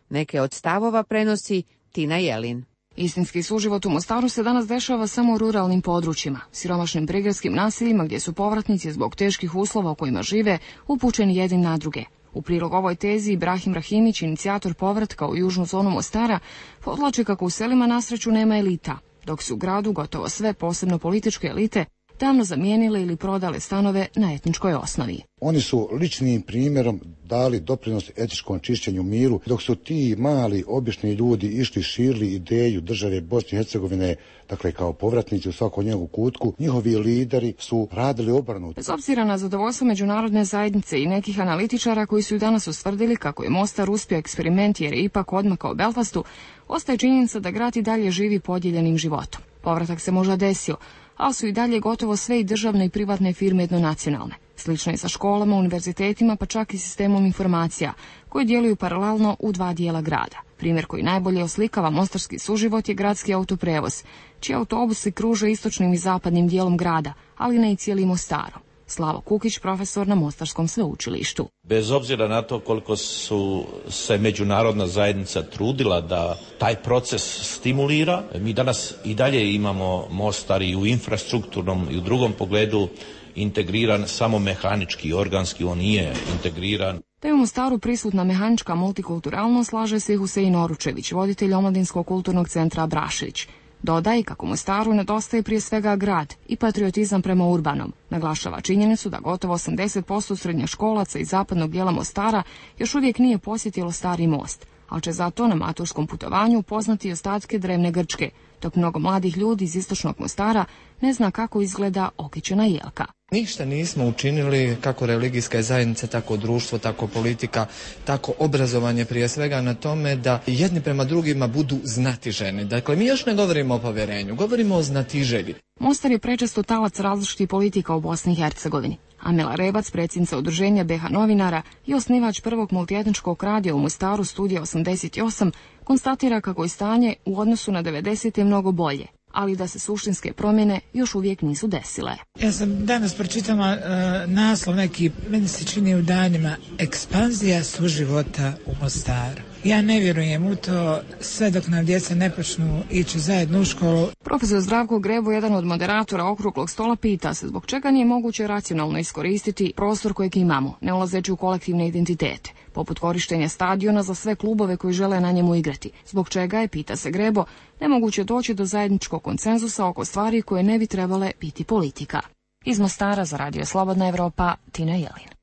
Neke od stavova prenosi Tina Jelin. Istinski suživot u Mostaru se danas dešava samo u ruralnim područjima, siromašnim prigradskim naseljima gdje su povratnici zbog teških uslova u kojima žive upućeni jedni na druge. U prilog ovoj tezi Ibrahim Rahimić, inicijator povratka u južnu zonu Mostara, podlači kako u selima na sreću nema elita, dok su u gradu gotovo sve, posebno političke elite, davno zamijenile ili prodale stanove na etničkoj osnovi. Oni su ličnim primjerom dali doprinos etičkom čišćenju miru, dok su ti mali, obični ljudi išli širili ideju države Bosne i Hercegovine, dakle kao povratnici u svakom njegovu kutku, njihovi lideri su radili obrnuto. Bez obzira na zadovoljstvo međunarodne zajednice i nekih analitičara koji su i danas ustvrdili kako je Mostar uspio eksperiment jer je ipak odmakao Belfastu, ostaje činjenica da grad i dalje živi podijeljenim životom. Povratak se možda desio, ali su i dalje gotovo sve i državne i privatne firme jednonacionalne. Slično je sa školama, univerzitetima, pa čak i sistemom informacija, koji djeluju paralelno u dva dijela grada. Primjer koji najbolje oslikava mostarski suživot je gradski autoprevoz, čiji autobusi kruže istočnim i zapadnim dijelom grada, ali ne i cijelim Mostarom. Slavo Kukić, profesor na Mostarskom sveučilištu. Bez obzira na to koliko su se međunarodna zajednica trudila da taj proces stimulira, mi danas i dalje imamo Mostar i u infrastrukturnom i u drugom pogledu integriran samo mehanički, organski, on nije integriran. Da je u Mostaru prisutna mehanička multikulturalnost, slaže se i Husein Oručević, voditelj Omladinskog kulturnog centra Abrašević. Dodaje kako Mostaru nedostaje prije svega grad i patriotizam prema urbanom. Naglašava činjenicu da gotovo osamdeset posto srednjoškolaca iz zapadnog dijela Mostara još uvijek nije posjetilo Stari most, ali će zato na maturskom putovanju upoznati ostatke drevne Grčke, dok mnogo mladih ljudi iz istočnog Mostara ne zna kako izgleda okićena jelka. Ništa nismo učinili, kako religijska zajednica, tako društvo, tako politika, tako obrazovanje prije svega na tome da jedni prema drugima budu znatiženi. Dakle, mi još ne govorimo o povjerenju, govorimo o znatiželji. Mostar je prečesto talac različitih politika u Bosni i Hercegovini. Amela Rebac, predsjednica udruženja B H novinara i osnivač prvog multietničkog radija u Mostaru Studija osamdeset osam, konstatira kako je stanje u odnosu na devedesete mnogo bolje, ali da se suštinske promjene još uvijek nisu desile. Ja sam danas pročitala uh, naslov neki, meni se čini u danima, ekspanzija suživota u Mostaru. Ja ne vjerujem u to sve dok nam djeca ne počnu ići zajedno u školu. Profesor Zdravko Grebo, jedan od moderatora okruglog stola, pita se zbog čega nije moguće racionalno iskoristiti prostor kojeg imamo, ne ulazeći u kolektivne identitete, poput korištenja stadiona za sve klubove koji žele na njemu igrati. Zbog čega je, pita se Grebo, nemoguće doći do zajedničkog konsenzusa oko stvari koje ne bi trebale biti politika. Iz Mostara za Radio Slobodna Evropa, Tina Jelin.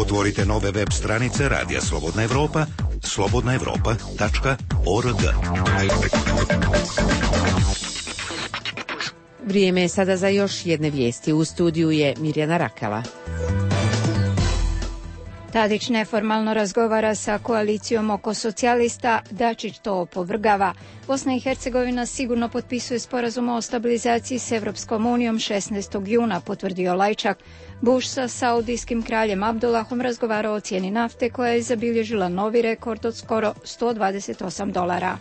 Otvorite nove web stranice Radija Slobodna Evropa, slobodna evropa tačka org. Vrijeme je sada za još jedne vijesti. U studiju je Mirjana Rakela. Tadić neformalno razgovara sa koalicijom oko socijalista, Dačić to opovrgava. Bosna i Hercegovina sigurno potpisuje sporazum o stabilizaciji s Evropskom unijom šesnaestog juna, potvrdio Lajčak. Bush sa saudijskim kraljem Abdullahom razgovarao o cijeni nafte koja je zabilježila novi rekord od skoro sto dvadeset osam dolara.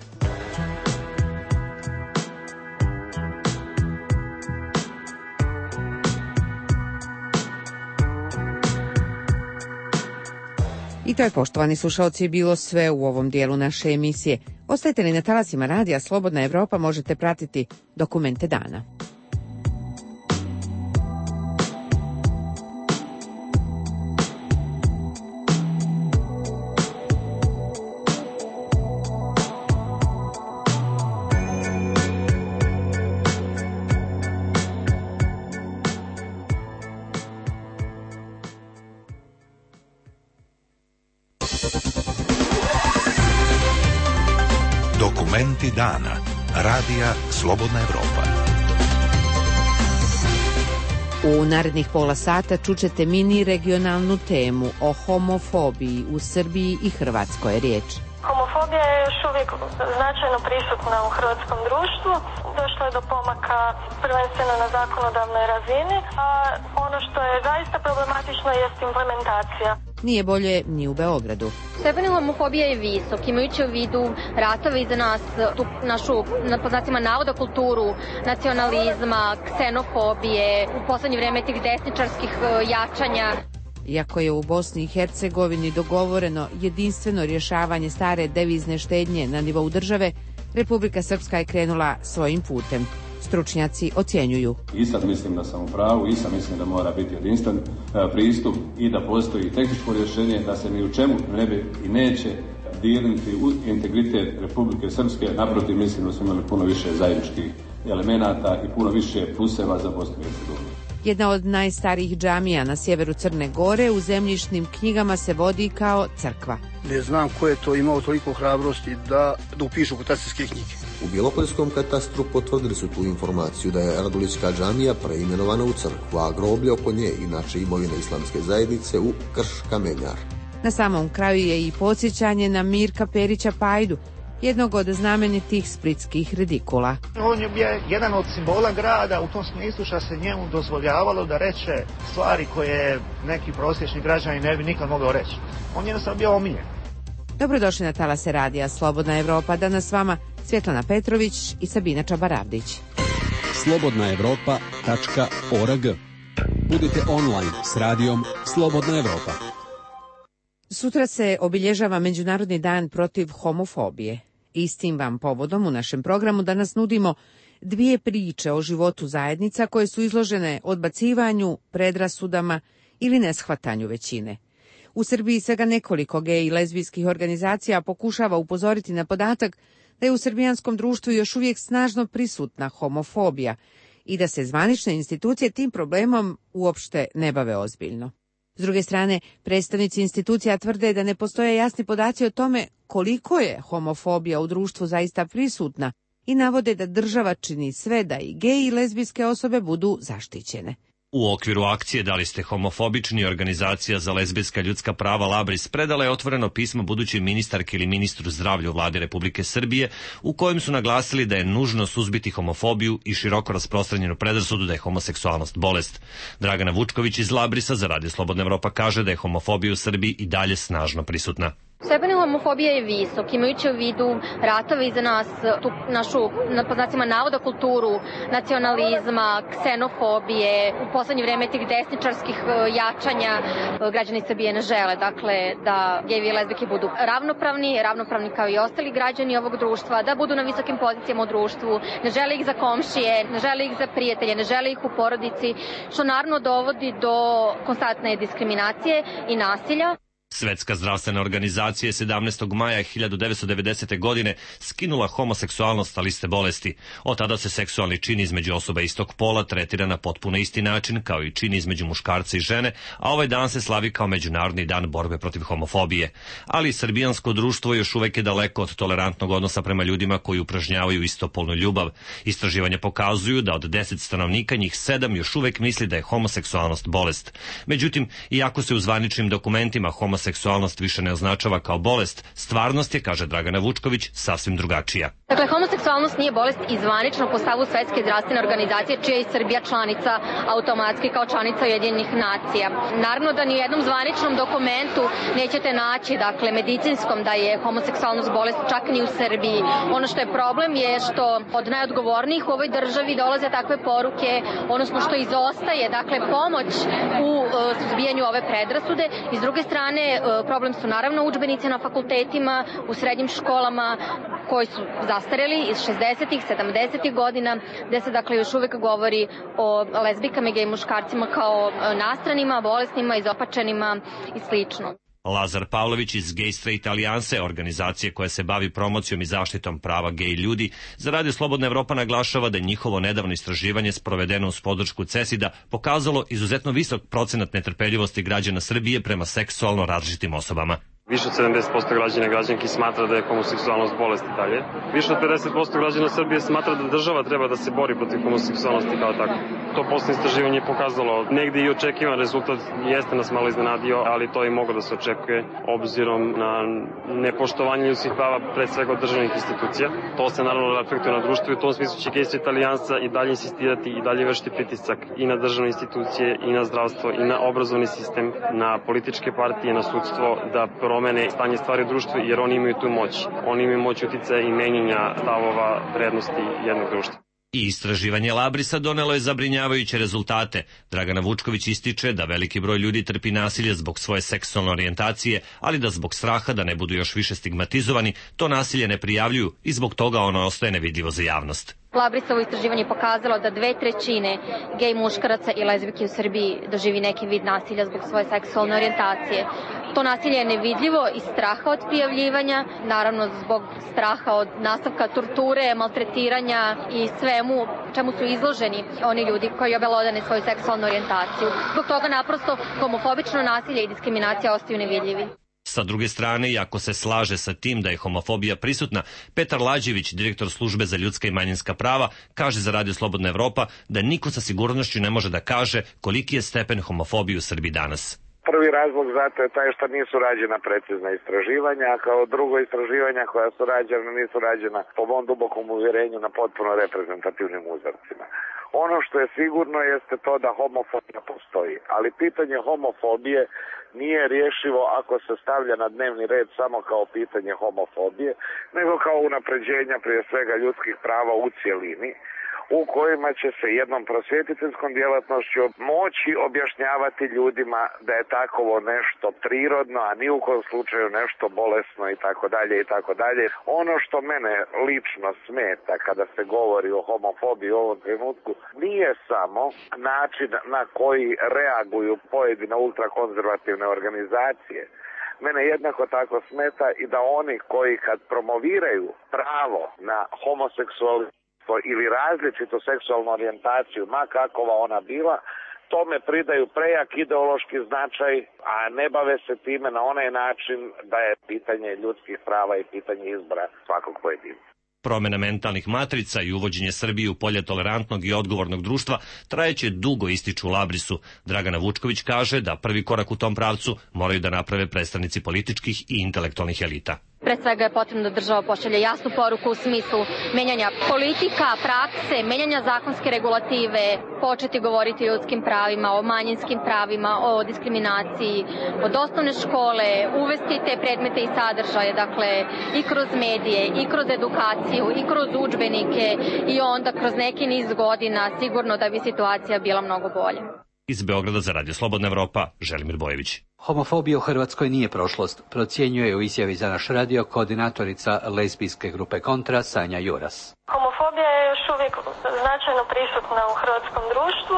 I to je, poštovani slušalci, bilo sve u ovom dijelu naše emisije. Ostajete li na talasima radija Slobodna Evropa, možete pratiti dokumente dana. Dokumenti dana. Radija Slobodna Evropa. U narednih pola sata čućete mini regionalnu temu o homofobiji u Srbiji i Hrvatskoj je riječ. Homofobija je još uvijek značajno prisutna u hrvatskom društvu. Došlo je do pomaka prvenstveno na zakonodavnoj razini, a ono što je zaista problematično jest implementacija. Nije bolje ni u Beogradu. Stepen homofobije je visok, imajući u vidu ratove iza nas, tu našu, na poznacima navoda, kulturu nacionalizma, ksenofobije, u poslednje vreme tih desničarskih jačanja. Iako je u Bosni i Hercegovini dogovoreno jedinstveno rješavanje stare devizne štednje na nivou države, Republika Srpska je krenula svojim putem. Stručnjaci ocjenjuju. I sad mislim da sam u pravu, i sad mislim da mora biti jedinstven pristup i da postoji tehničko rješenje, da se ni u čemu ne bi i neće dirnuti u integritet Republike Srpske. Naprotiv, mislim da smo imali puno više zajedničkih elemenata i puno više pluseva za Bosnu i Hercegovinu. Jedna od najstarijih džamija na sjeveru Crne Gore u zemljišnim knjigama se vodi kao crkva. Ne znam ko je to imao toliko hrabrosti da, da upišu katastarske knjige. U Bjelopoljskom katastru potvrdili su tu informaciju da je Radulićka džamija preimenovana u crkvu, a groblje oko nje, inače imovina islamske zajednice, u krš kamenjar. Na samom kraju je i podsjećanje na Mirka Perića Pajdu, jednog od znamenitih splitskih redikula. On je bio jedan od simbola grada u tom smislu što se njemu dozvoljavalo da reče stvari koje neki prosječni građani ne bi nikad mogao reći. On je jednostavno bio omiljen. Dobrodošli na talase radija Slobodna Evropa. Danas s vama Svjetlana Petrović i Sabina Čabaravdić. slobodna evropa tačka org. Budite online s radijom Slobodna Evropa. Sutra se obilježava Međunarodni dan protiv homofobije. Istim vam povodom u našem programu danas nudimo dvije priče o životu zajednica koje su izložene odbacivanju, predrasudama ili neshvatanju većine. U Srbiji svega nekoliko gej i lezbijskih organizacija pokušava upozoriti na podatak da je u srbijanskom društvu još uvijek snažno prisutna homofobija i da se zvanične institucije tim problemom uopšte ne bave ozbiljno. S druge strane, predstavnici institucija tvrde da ne postoje jasni podaci o tome koliko je homofobija u društvu zaista prisutna i navode da država čini sve da i gej i lezbijske osobe budu zaštićene. U okviru akcije Da li ste homofobični, organizacija za lezbijska ljudska prava Labris predala je otvoreno pismo budućoj ministarki ili ministru zdravlja u vladi Republike Srbije u kojem su naglasili da je nužno suzbiti homofobiju i široko rasprostranjenu predrasudu da je homoseksualnost bolest. Dragana Vučković iz Labrisa za Radio Slobodna Evropa kaže da je homofobija u Srbiji i dalje snažno prisutna. Stepen homofobije je visok, imajući u vidu ratove iza nas, tu našu, na poznacima navoda, kulturu nacionalizma, ksenofobije, u poslednje vreme tih desničarskih jačanja. Građani Srbije ne žele, dakle, da gejevi i lezbijke budu ravnopravni, ravnopravni kao i ostali građani ovog društva, da budu na visokim pozicijama u društvu, ne žele ih za komšije, ne žele ih za prijatelje, ne žele ih u porodici, što naravno dovodi do konstantne diskriminacije i nasilja. Svetska zdravstvena organizacija je sedamnaestog maja hiljadu devetsto devedesete. godine skinula homoseksualnost sa liste bolesti. Od tada se seksualni čin između osoba istog pola tretira na potpuno isti način kao i čin između muškarca i žene, a ovaj dan se slavi kao Međunarodni dan borbe protiv homofobije. Ali srbijansko društvo još uvek je daleko od tolerantnog odnosa prema ljudima koji upražnjavaju istopolnu ljubav. Istraživanja pokazuju da od deset stanovnika njih sedam još uvek misli da je homoseksualnost bolest. Međutim, iako se u zvaničnim dokumentima homoseksualnost više ne označava kao bolest, stvarnost je, kaže Dragana Vučković, sasvim drugačija. Dakle, homoseksualnost nije bolest i zvanično po stavu Svetske zdravstvene organizacije, čija je i Srbija članica automatski kao članica Ujedinjenih nacija. Naravno da ni u jednom zvaničnom dokumentu nećete naći, dakle, medicinskom da je homoseksualnost bolest, čak ni u Srbiji. Ono što je problem je što od najodgovornijih u ovoj državi dolaze takve poruke, odnosno što izostaje, dakle, pomoć u uh, suzbijanju ove predrasude. I s druge strane, uh, problem su naravno udžbenici na fakultetima, u srednjim školama, koji su zastareli iz šezdesetih, sedamdesetih godina, gde se dakle još uvek govori o lezbikama i gej muškarcima kao nastranima, bolesnima, izopačenima i slično. Lazar Pavlović iz Gay Straight Alijanse, organizacije koja se bavi promocijom i zaštitom prava gej ljudi, za Radio Slobodna Evropa naglašava da je njihovo nedavno istraživanje sprovedeno uz podršku CESID-a pokazalo izuzetno visok procenat netrpeljivosti građana Srbije prema seksualno različitim osobama. Više od sedamdeset posto građana i građanki smatra da je homoseksualnost bolest i dalje. Više od pedeset posto građana Srbije smatra da država treba da se bori protiv homoseksualnosti kao tako. To poslednje istraživanje je pokazalo. Negde i očekivan rezultat jeste nas malo iznenadio, ali to i moglo da se očekuje obzirom na nepoštovanje ljudskih prava pred svega od državnih institucija. To se naravno reflektuje na društvo i u tom smislu će Gay Straight Alijansa i dalje insistirati i dalje vršiti pritisak i na državne institucije i na zdravstvo i na obrazovni sistem, na političke partije, na sudstvo da promene stanje stvari u društvu, jer oni imaju tu moć. Oni imaju moć uticaja i menjenja stavova vrednosti jednog društva. I istraživanje Labrisa donelo je zabrinjavajuće rezultate. Dragana Vučković ističe da veliki broj ljudi trpi nasilje zbog svoje seksualne orijentacije, ali da zbog straha da ne budu još više stigmatizovani, to nasilje ne prijavljuju i zbog toga ono ostaje nevidljivo za javnost. Labrisovo istraživanje je pokazalo da dve trećine gej muškaraca i lezbijki u Srbiji doživi neki vid nasilja zbog svoje seksualne orijentacije. To nasilje je nevidljivo iz straha od prijavljivanja, naravno zbog straha od nastavka torture, maltretiranja i svemu čemu su izloženi oni ljudi koji obelodane svoju seksualnu orijentaciju. Zbog toga naprosto homofobično nasilje i diskriminacija ostaju nevidljivi. Sa druge strane, iako se slaže sa tim da je homofobija prisutna, Petar Lađević, direktor službe za ljudska i manjinska prava, kaže za Radio Slobodna Evropa da niko sa sigurnošću ne može da kaže koliki je stepen homofobije u Srbiji danas. Prvi razlog zato je taj što nisu rađena precizna istraživanja, a kao drugo istraživanja koja su rađena nisu rađena po mom dubokom uvjerenju na potpuno reprezentativnim uzorcima. Ono što je sigurno jeste to da homofobija postoji, ali pitanje homofobije nije rješivo ako se stavlja na dnevni red samo kao pitanje homofobije, nego kao unapređenja prije svega ljudskih prava u cjelini, u kojima će se jednom prosvjetiteljskom djelatnošću moći objašnjavati ljudima da je takovo nešto prirodno, a ni u kojem slučaju nešto bolesno i tako dalje i tako dalje. Ono što mene lično smeta kada se govori o homofobiji u ovom trenutku nije samo način na koji reaguju pojedine ultrakonzervativne organizacije. Mene jednako tako smeta i da oni koji kad promoviraju pravo na homoseksualitet ili različitu seksualnu orijentaciju, ma kakova ona bila, tome pridaju prejak ideološki značaj, a ne bave se time na onaj način da je pitanje ljudskih prava i pitanje izbora svakog pojedinca. Promjena mentalnih matrica i uvođenje Srbije u polje tolerantnog i odgovornog društva trajeće dugo, ističu u Labrisu. Dragana Vučković kaže da prvi korak u tom pravcu moraju da naprave predstavnici političkih i intelektualnih elita. Pre svega je potrebno da država pošalje jasnu poruku u smislu menjanja politika, prakse, menjanja zakonske regulative, početi govoriti o ljudskim pravima, o manjinskim pravima, o diskriminaciji, od osnovne škole, uvesti te predmete i sadržaje, dakle i kroz medije, i kroz edukaciju, i kroz udžbenike i onda kroz neki niz godina sigurno da bi situacija bila mnogo bolja. Iz Beograda za Radio Slobodna Evropa, Želimir Bojević. Homofobija u Hrvatskoj nije prošlost, procjenjuje u izjavi za naš radio koordinatorica lezbijske grupe Kontra Sanja Juras. Homofobija je još uvijek značajno prisutna u hrvatskom društvu.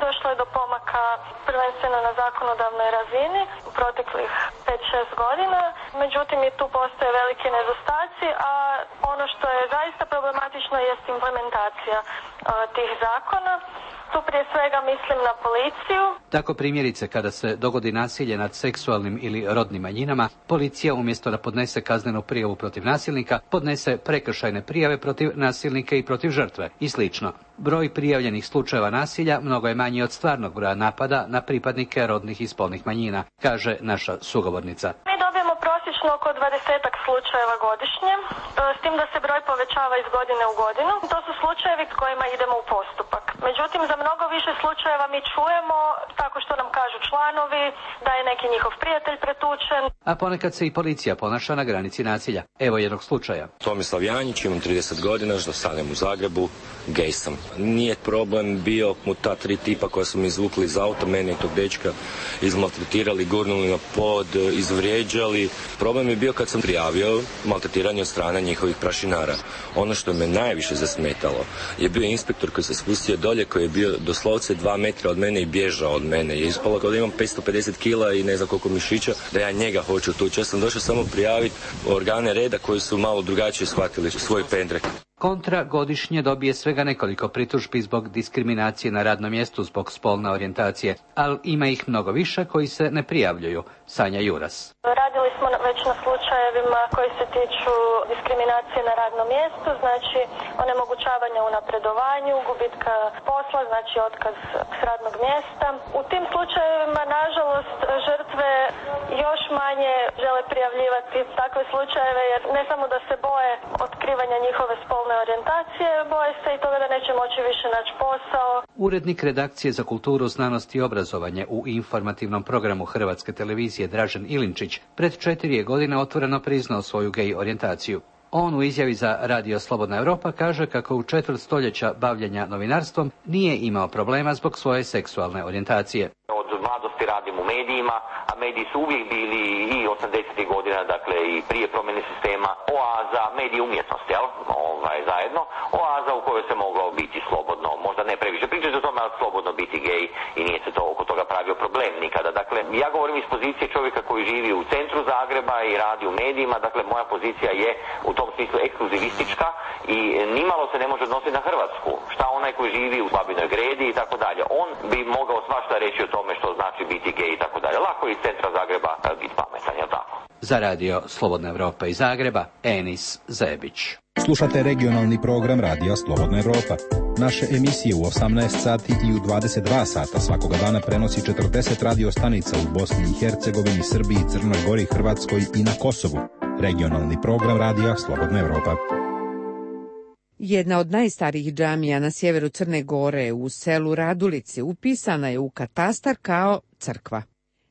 došlo je do pomaka prvenstveno na zakonodavnoj razini u proteklih pet šest godina, međutim i tu postoje veliki nedostaci, a ono što je zaista problematično jest implementacija a, tih zakona. Tu prije svega mislim na policiju. Tako primjerice kada se dogodi nasilje nad seksualnim ili rodnim manjinama, policija umjesto da podnese kaznenu prijavu protiv nasilnika, podnese prekršajne prijave protiv nasilnika i protiv žrtve i slično. Broj prijavljenih slučajeva nasilja mnogo je manji od stvarnog broja napada na pripadnike rodnih i spolnih manjina, kaže naša sugovornica. Mi dobijemo prosječno oko dvadesetak slučajeva godišnje, s tim da se broj povećava iz godine u godinu. To su slučajevi s kojima idemo u postupak. Međutim, za mnogo više slučajeva mi čujemo tako što nam kažu članovi da je neki njihov prijatelj pretučen. A ponekad se i policija ponaša na granici nasilja. Evo jednog slučaja. Tomislav Janjić, imam trideset godina, stanem u Zagrebu, gej sam. Nije problem bio mu ta tri tipa koja su mi izvukli iz auta, mene i tog dečka izmaltretirali, gurnuli na pod, izvrijeđali. Problem je bio kad sam prijavio maltretiranje od strane njihovih prašinara. Ono što me najviše zasmetalo je bio inspektor koji se spustio dolje, koji je bio doslovce dva metra od mene i bježao od mene. Je ispalo kao da imam petsto pedeset kila i ne znam koliko mišića, da ja njega hoću tući. Ja sam došao samo prijaviti organe reda koji su malo drugačije shvatili svoj pendrek. Kontra godišnje dobije svega nekoliko pritužbi zbog diskriminacije na radnom mjestu zbog spolne orijentacije, ali ima ih mnogo više koji se ne prijavljuju. Sanja Juras. Radili smo već na slučajevima koji se tiču diskriminacije na radnom mjestu, znači onemogućavanja u napredovanju, gubitka posla, znači otkaz s radnog mjesta. U tim slučajevima, nažalost, žrtve još manje žele prijavljivati takve slučajeve, jer ne samo da se boje otkrivanja njihove spolne orijentacije, boje se i toga da neće moći više naći posao. Urednik redakcije za kulturu, znanost i obrazovanje u informativnom programu Hrvatske televizije Dražen Ilinčić pred četiri je godine otvoreno priznao svoju gej orijentaciju. On u izjavi za Radio Slobodna Europa kaže kako u četvrt stoljeća bavljenja novinarstvom nije imao problema zbog svoje seksualne orijentacije. Od mladosti radim u medijima, a mediji su uvijek bili i osamdesetih godina, dakle i prije promjene sistema, oaza, mediji umjetnosti, jel? Ovaj, zajedno, oaza u kojoj se moglo biti slobodno, možda ne previše pričati o tome, ali slobodno biti gej i nije se to oko toga pravio problem nikada. Dakle, ja govorim iz pozicije čovjeka koji živi u centru Zagreba i radi u medijima, dakle moja pozicija je u tom smislu ekskluzivistička i nimalo se ne može odnositi na Hrvatsku. Šta onaj koji živi u Babinoj Gredi i tako dalje, on bi mogao svašta reći o tome što znači biti gej i tako dalje. Lako iz centra Zagreba biti pametan, je li tako? Za Radio Slobodna Evropa iz Zagreba, Enis Zebić. Slušate regionalni program Radija Slobodna Evropa. Naše emisije u osamnaest sati i u dvadeset dva sata svakoga dana prenosi četrdeset radio stanica u Bosni i Hercegovini, Srbiji, Crnoj Gori, Hrvatskoj i na Kosovu. Regionalni program Radija Slobodna Evropa. Jedna od najstarijih džamija na sjeveru Crne Gore u selu Radulici upisana je u katastar kao crkva.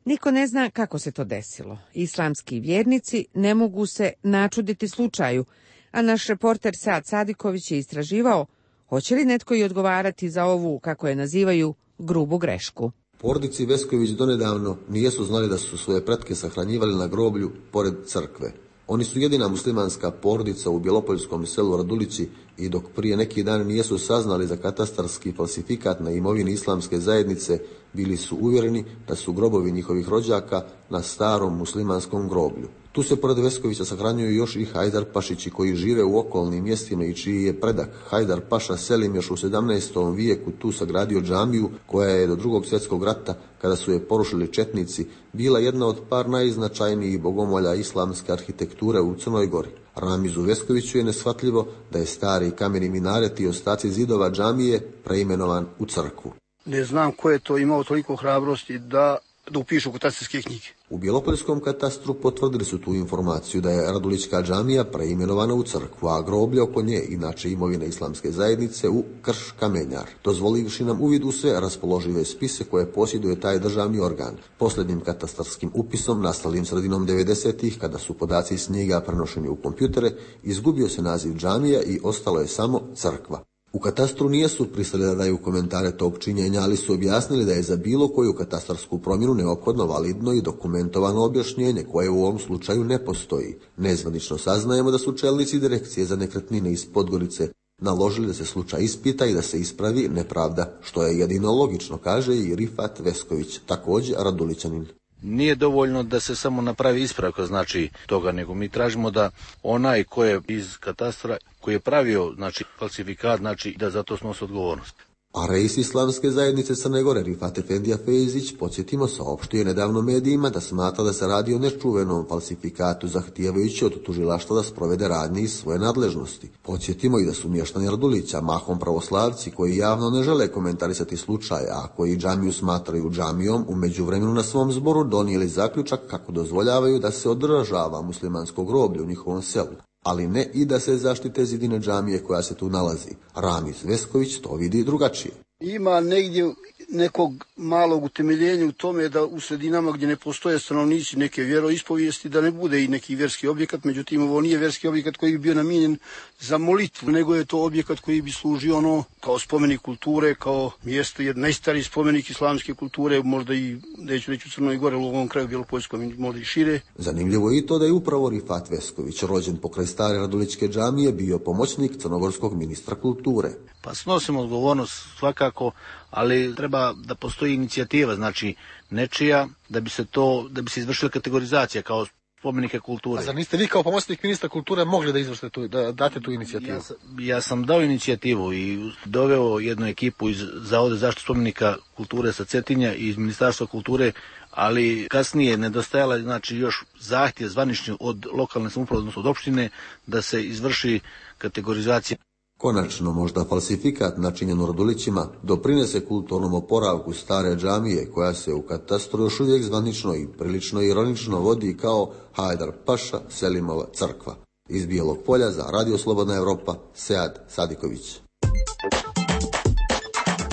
Niko ne zna kako se to desilo. Islamski vjernici ne mogu se načuditi slučaju, a naš reporter Sad Sadiković je istraživao hoće li netko i odgovarati za ovu, kako je nazivaju, grubu grešku. Porodici Vesković donedavno nijesu znali da su svoje pretke sahranjivali na groblju pored crkve. Oni su jedina muslimanska porodica u bjelopoljskom selu Radulici i dok prije neki dan nijesu saznali za katastarski falsifikat na imovini islamske zajednice, bili su uvjereni da su grobovi njihovih rođaka na starom muslimanskom groblju. Tu se pored Veskovića sahranjuju još i Hajdar Pašići koji žive u okolnim mjestima i čiji je predak Hajdar Paša Selim još u sedamnaestom vijeku tu sagradio džamiju koja je do drugog svjetskog rata, kada su je porušili četnici, bila jedna od par najznačajnijih bogomolja islamske arhitekture u Crnoj Gori. Ramizu Veskoviću je neshvatljivo da je stari kameni minaret i ostaci zidova džamije preimenovan u crkvu. Ne znam ko je to imao toliko hrabrosti da da upišu katastarske knjige. U Bjelopoljskom katastru potvrdili su tu informaciju da je Radulićka džamija preimenovana u crkvu, a groblje oko nje, inače imovine islamske zajednice, u Krš Kamenjar, dozvolivši nam uvid u sve raspoložive spise koje posjeduje taj državni organ. Posljednjim katastarskim upisom, nastalim sredinom devedesetih, kada su podaci s njega prenošeni u kompjutere, izgubio se naziv džamija i ostalo je samo crkva. U katastru nijesu pristali da daju komentare tog činjenja, ali su objasnili da je za bilo koju katastarsku promjenu neophodno validno i dokumentovano objašnjenje koje u ovom slučaju ne postoji. Nezvanično saznajemo da su čelnici direkcije za nekretnine iz Podgorice naložili da se slučaj ispita i da se ispravi nepravda, što je jedino logično, kaže i Rifat Vesković, također Radulićanin. Nije dovoljno da se samo napravi ispravka znači toga, nego mi tražimo da onaj ko je iz katastra, koji je pravio znači falsifikat, znači da za to snosi odgovornost. A reis Islamske zajednice Crne Gore Rifat Efendija Fejzić, podsjetimo, saopštio je nedavno medijima da smatra da se radi o nečuvenom falsifikatu, zahtijevajući od tužilaštva da sprovede radnje iz svoje nadležnosti. Podsjetimo i da su mještani Radulića, mahom pravoslavci, koji javno ne žele komentarisati slučaj, a koji džamiju smatraju džamijom, u međuvremenu na svom zboru donijeli zaključak kako dozvoljavaju da se održava muslimansko groblje u njihovom selu, ali ne i da se zaštite zidine džamije koja se tu nalazi. Ramiz Vesković to vidi drugačije. Ima negdje nekog malog utemeljenja u tome da u sredinama gdje ne postoje stanovnici neke vjeroispovijesti da ne bude i neki vjerski objekat, međutim ovo nije vjerski objekat koji bi bio namijenjen za molitvu, nego je to objekat koji bi služio ono kao spomenik kulture, kao mjesto, jedan najstariji spomenik islamske kulture, možda i, neću reći u Crnoj Gore, u ovom kraju Bjelopoljskom, možda i šire. Zanimljivo je i to da je upravo Rifat Vesković, rođen pokraj stare Radulićke džamije, bio pomoćnik crnogorskog ministra kulture. Pa snosimo odgovornost svakako, ali treba da postoji inicijativa, znači nečija, da bi se to, da bi se izvršila kategorizacija kao spomenike kulture. A zar niste vi kao pomoćnik ministra kulture mogli da izvršite tu, da date tu inicijativu? Ja sam, ja sam dao inicijativu i doveo jednu ekipu iz Zavoda zaštitu spomenika kulture sa Cetinja i iz Ministarstva kulture, ali kasnije nedostajala znači još zahtjev zvanični od lokalne samouprave, odnosno od opštine, da se izvrši kategorizacija. Konačno, možda falsifikat načinjen u Radulićima doprinese kulturnom oporavku stare džamije, koja se u katastru još uvijek zvanično i prilično ironično vodi kao Hajdar Paša Selimova crkva. Iz Bijelog Polja za Radio Slobodna Evropa, Sead Sadiković.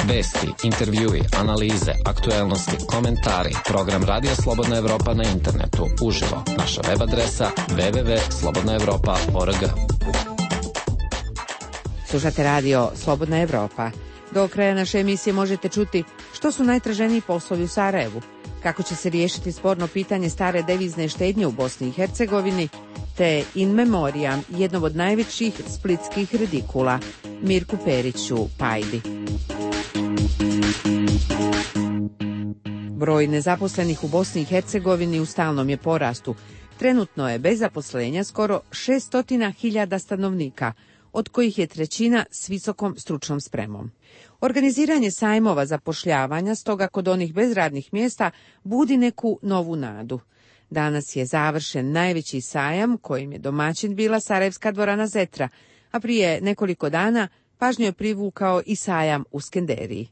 Vesti, intervjui, analize, aktuelnosti, komentari, program Radija Slobodna Evropa na internetu, uživo, naša web adresa w w w tačka slobodna evropa tačka org. Slušate radio Slobodna Evropa. Do kraja naše emisije možete čuti što su najtraženiji poslovi u Sarajevu, kako će se riješiti sporno pitanje stare devizne štednje u Bosni i Hercegovini, te in memoriam jednog od najvećih splitskih redikula, Mirku Periću Pajdi. Broj nezaposlenih u Bosni i Hercegovini u stalnom je porastu. Trenutno je bez zaposlenja skoro šesto hiljada stanovnika, od kojih je trećina s visokom stručnom spremom. Organiziranje sajmova zapošljavanja, stoga kod onih bez radnih mjesta, budi neku novu nadu. Danas je završen najveći sajam, kojim je domaćin bila Sarajevska dvorana Zetra, a prije nekoliko dana pažnju je privukao i sajam u Skenderiji.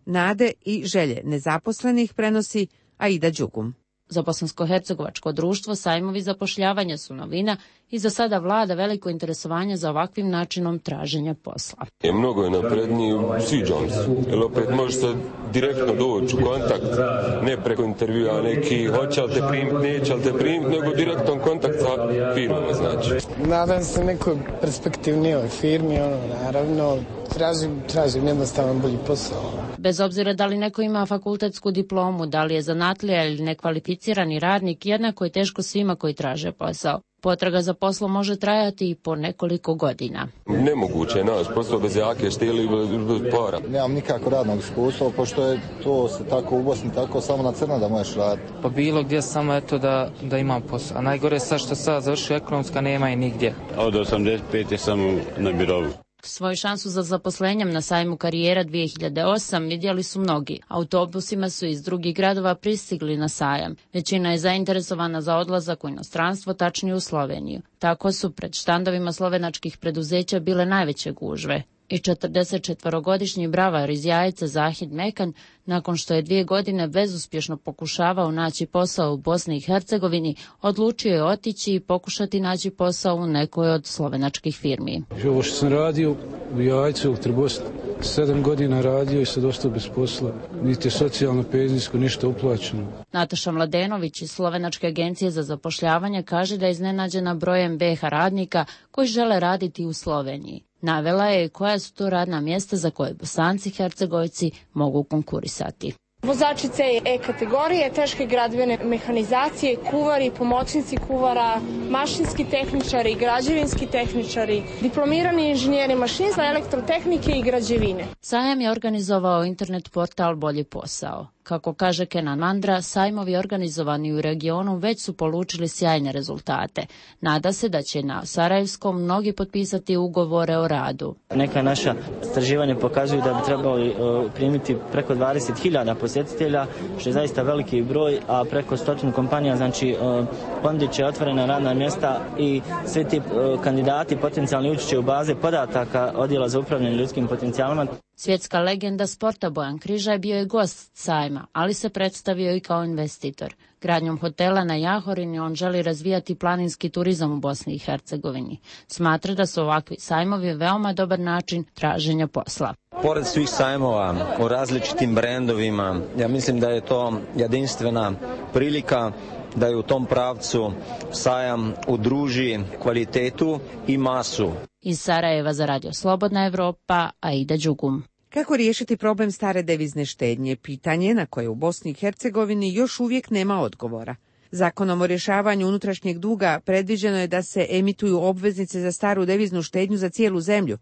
Nade i želje nezaposlenih prenosi Aida Đugum. Za bosansko-hercegovačko društvo sajmovi zapošljavanja su novina i za sada vlada veliko interesovanje za ovakvim načinom traženja posla. Je mnogo je napredniji, sviđam se, jer opet može se direktno doći u kontakt, ne preko intervjua neki hoće li te primiti, neće li te primiti, nego direktan kontakt sa firmama, znači. Nadam se nekoj perspektivnijoj firmi, ono, naravno, tražim, tražim jednostavan bolji posao. Bez obzira da li neko ima fakultetsku diplomu, da li je zanatlija ili nekvalificirani radnik, jednako je teško svima koji traže posao. Potraga za poslom može trajati i po nekoliko godina. Nemoguće je naći posao bez jake štili bez para. Nemam nikako radnog iskustva, pošto je to se tako u Bosni, tako samo na crno da možeš raditi. Pa bilo gdje samo eto da, da imam posao. A najgore je sad što sad završio ekonomska, nema i nigdje. Od osamdeset pete samo na birovu. Svoju šansu za zaposlenjem na sajmu Karijera dvije hiljade osam vidjeli su mnogi. Autobusima su iz drugih gradova pristigli na sajam. Većina je zainteresovana za odlazak u inostranstvo, tačnije u Sloveniju. Tako su pred štandovima slovenačkih preduzeća bile najveće gužve. I četrdesetčetvorogodišnji bravar iz Jajce Zahid Mekan, nakon što je dvije godine bezuspješno pokušavao naći posao u Bosni i Hercegovini, odlučio je otići i pokušati naći posao u nekoj od slovenačkih firmi. Ovo što sam radio u Jajcu, u Trbosti, sedam godina radio i sad ostao bez posla. Niti je socijalno, penzijsko, ništa uplaćeno. Nataša Mladenović iz Slovenačke agencije za zapošljavanje kaže da je iznenađena brojem be ha radnika koji žele raditi u Sloveniji. Navela je koja su to radna mjesta za koje Bosanci i Hercegovci mogu konkurisati. Vozači C i E kategorije, teške gradivene mehanizacije, kuvari, pomoćnici kuvara, mašinski tehničari, građevinski tehničari, diplomirani inženjeri mašinstva, elektrotehnike i građevine. Sajam je organizovao internet portal Bolji posao. Kako kaže Kenan Mandra, sajmovi organizovani u regionu već su polučili sjajne rezultate. Nada se da će na Sarajevskom mnogi potpisati ugovore o radu. Neka naša istraživanja pokazuju da bi trebali uh, primiti preko dvadeset hiljada posjetitelja, što je zaista veliki broj, a preko stotinu kompanija, znači uh, ponudit će otvorena radna mjesta i svi ti uh, kandidati potencijalni ući će u baze podataka Odjela za upravljanje ljudskim potencijalima. Svjetska legenda sporta Bojan Križaj bio je gost sajma, ali se predstavio i kao investitor. Gradnjom hotela na Jahorini on želi razvijati planinski turizam u Bosni i Hercegovini. Smatra da su ovakvi sajmovi veoma dobar način traženja posla. Pored svih sajmova o različitim brendovima, ja mislim da je to jedinstvena prilika da je u tom pravcu sajam udruži kvalitetu i masu. Iz Sarajeva za Radio Slobodna Evropa, Aida Đugum. Kako riješiti problem stare devizne štednje? Pitanje na koje u Bosni i Hercegovini još uvijek nema odgovora. Zakonom o rješavanju unutrašnjeg duga predviđeno je da se emituju obveznice za staru deviznu štednju za cijelu zemlju.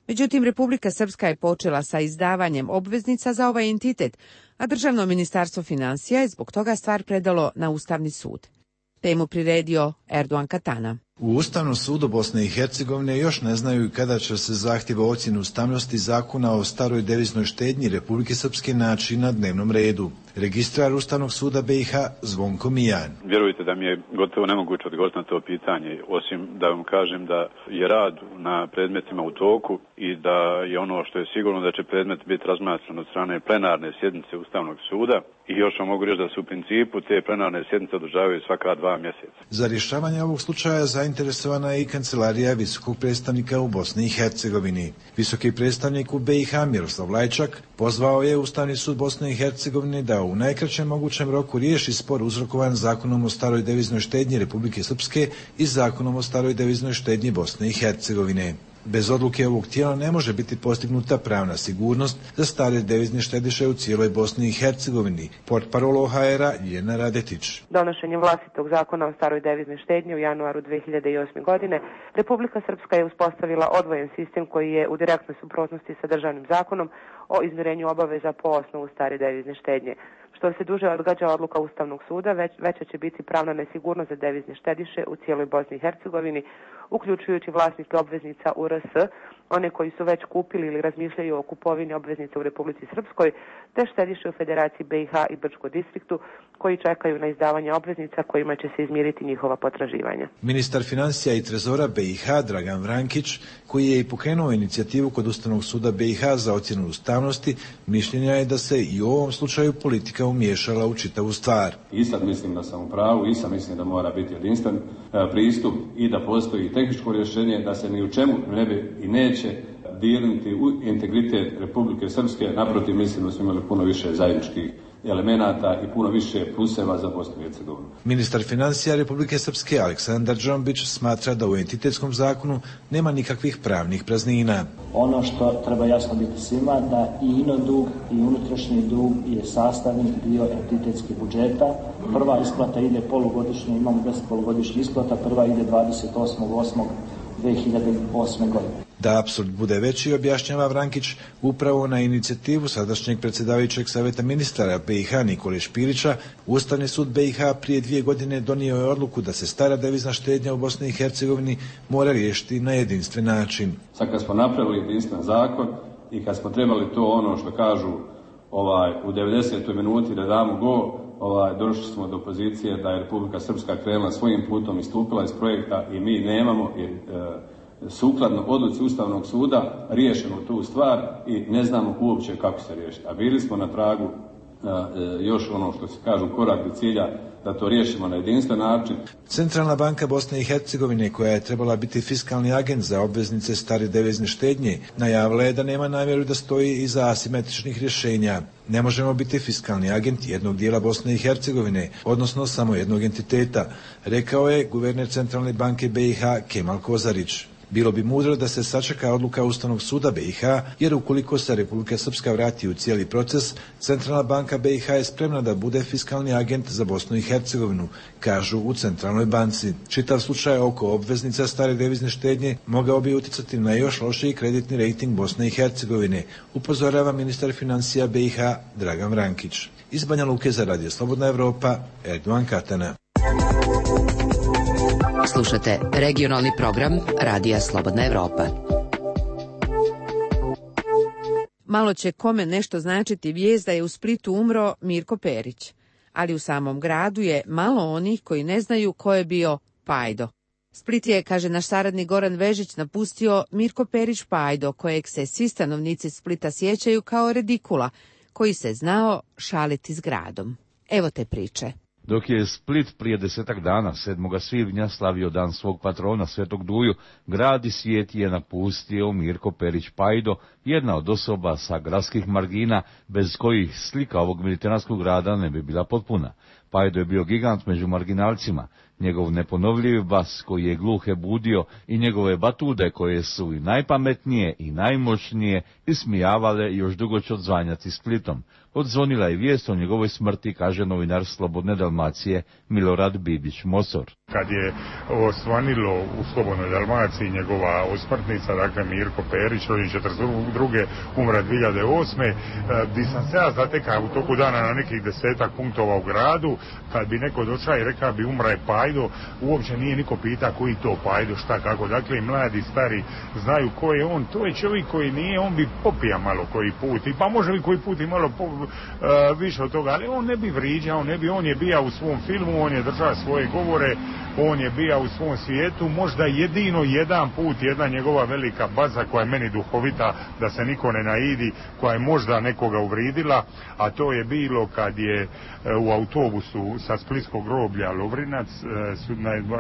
Međutim, Republika Srpska je počela sa izdavanjem obveznica za ovaj entitet, a Državno ministarstvo financija je zbog toga stvar predalo na Ustavni sud. Temu priredio Erdogan Katana. U Ustavnom sudu Bosne i Hercegovine još ne znaju kada će se zahtjeva ocjenu ustavnosti zakona o staroj deviznoj štednji Republike Srpske naći na dnevnom redu. Registrar Ustavnog suda B i H Zvonko Mijan. Vjerujte da mi je gotovo nemoguće odgovoriti na to pitanje, osim da vam kažem da je rad na predmetima u toku i da je ono što je sigurno da će predmet biti razmatran od strane plenarne sjednice Ustavnog suda. I još vam mogu reći da su u principu te plenarne sjednice održavaju svaka dva mjeseca. Za rješavanje ovog slučaja zainteresovana je i kancelarija visokog predstavnika u Bosni i Hercegovini. Visoki predstavnik u B i H Miroslav Lajčak pozvao je Ustavni sud Bosne i Hercegovine da u najkraćem mogućem roku riješi spor uzrokovan Zakonom o staroj deviznoj štednji Republike Srpske i Zakonom o staroj deviznoj štednji Bosne i Hercegovine. Bez odluke ovog tijela ne može biti postignuta pravna sigurnost za stare devizne štediše u cijeloj Bosni i Hercegovini. Portparol O H R-a Ljena Radetić. Donošenjem vlastitog zakona o staroj deviznoj štednji u januaru dve hiljade osme. godine Republika Srpska je uspostavila odvojen sistem koji je u direktnoj suprotnosti sa državnim zakonom o izmirenju obaveza po osnovu stare devizne štednje. Što se duže odgađa odluka Ustavnog suda, već, veća će biti pravna nesigurnost za devizne štediše u cijeloj Bosni i Hercegovini, uključujući vlasnike obveznica U R S, one koji su već kupili ili razmišljaju o kupovini obveznica u Republici Srpskoj, te štediše u Federaciji B i H i Brčkom distriktu, koji čekaju na izdavanje obveznica kojima će se izmiriti njihova potraživanja. Ministar financija i trezora B i H Dragan Vrankić, koji je i pokrenuo inicijativu kod Ustavnog suda B i H za ocjenu ustavnosti, mišljenja je da se i u ovom slučaju politika umiješala u čitavu stvar. I sad mislim da sam u pravu, i sad mislim da mora biti jedinstven e, pristup i da postoji tehničko rješenje, da se ni u čemu ne bi i neće dirnuti u integritet Republike Srpske. Naprotiv, mislim da smo imali puno više zajedničkih elemenata i puno više pluseva za Bosnu i Hercegovinu. Ministar financija Republike Srpske Aleksandar Džombić smatra da u entitetskom zakonu nema nikakvih pravnih praznina. Ono što treba jasno biti svima, da i ino dug i unutrašnji dug je sastavni dio entitetskih budžeta. Prva isplata ide polugodišnje, imamo deset polugodišnjih isplata, prva ide dvadeset osmog osmog dve hiljade osme. godine. Da apsurd bude veći, objašnjava Vrankić, upravo na inicijativu sadašnjeg predsjedavajućeg savjeta ministara B i H Nikole Špirića, Ustavni sud B i H prije dvije godine donio je odluku da se stara devizna štednja u Bosni i Hercegovini mora riješiti na jedinstven način. Sad kad smo napravili jedinstven zakon i kad smo trebali to ono što kažu ovaj, u devedesetoj minuti da damo go, ovaj, došli smo do pozicije da je Republika Srpska krenula svojim putom i stupila iz projekta i mi nemamo i, e, sukladno odluci Ustavnog suda riješeno tu stvar i ne znamo uopće kako se riješiti. A bili smo na tragu a, e, još ono što se kažu korak do cilja da to riješimo na jedinstven način. Centralna banka Bosne i Hercegovine, koja je trebala biti fiskalni agent za obveznice stare devizne štednje, najavila je da nema namjeru da stoji iza asimetričnih rješenja. Ne možemo biti fiskalni agent jednog dijela Bosne i Hercegovine, odnosno samo jednog entiteta, rekao je guverner Centralne banke B i H Kemal Kozarić. Bilo bi mudro da se sačeka odluka Ustavnog suda B i H, jer ukoliko se Republika Srpska vrati u cijeli proces, Centralna banka B i H je spremna da bude fiskalni agent za Bosnu i Hercegovinu, kažu u Centralnoj banci. Čitav slučaj oko obveznica stare devizne štednje mogao bi uticati na još lošiji kreditni rejting Bosne i Hercegovine, upozorava ministar financija B i H Dragan Vrankić. Iz Banja Luke za Radio Slobodna Evropa, Erdovan Katana. Slušate regionalni program Radija Slobodna Evropa. Malo će kome nešto značiti vijest da je u Splitu umro Mirko Perić, ali u samom gradu je malo onih koji ne znaju ko je bio Pajdo. Split je, kaže naš saradnik Goran Vežić, napustio Mirko Perić Pajdo, kojeg se svi stanovnici Splita sjećaju kao redikula, koji se znao šaliti s gradom. Evo te priče. Dok je Split prije desetak dana, sedmog svibnja, slavio dan svog patrona Svetog Duju, grad i svijet je napustio Mirko Perić Pajdo, jedna od osoba sa gradskih margina, bez kojih slika ovog mediteranskog grada ne bi bila potpuna. Pajdo je bio gigant među marginalcima, njegov neponovljivi bas koji je gluhe budio i njegove batude koje su i najpametnije i najmoćnije ismijavale još dugo će odzvanjati Splitom. Odzvonila je vijest o njegovoj smrti, kaže novinar Slobodne Dalmacije Milorad Bibić-Mosor. Kad je osvanilo u Slobodnoj Dalmaciji njegova osmrtnica, dakle Mirko Perić, rođen četrdeset druge umre dvije hiljade osme. Di sam se ja zatekao u toku dana na nekih desetak punktova u gradu, kad bi neko došao i rekao bi umre Pajdo, uopće nije niko pita koji to Pajdo, šta, kako. Dakle, i mladi, stari znaju ko je on. To je čovjek koji nije, on bi popija malo koji put, i pa može li koji put i malo po, uh, više od toga, ali on ne bi vriđao, on ne bi, on je bija u svom filmu, on je držao svoje govore, on je bija u svom svijetu, možda jedino jedan put, jedna njegova velika baza koja je meni duhovita, da se niko ne naidi, koja je možda nekoga uvridila, a to je bilo kad je u autobusu sa splitskog groblja Lovrinac,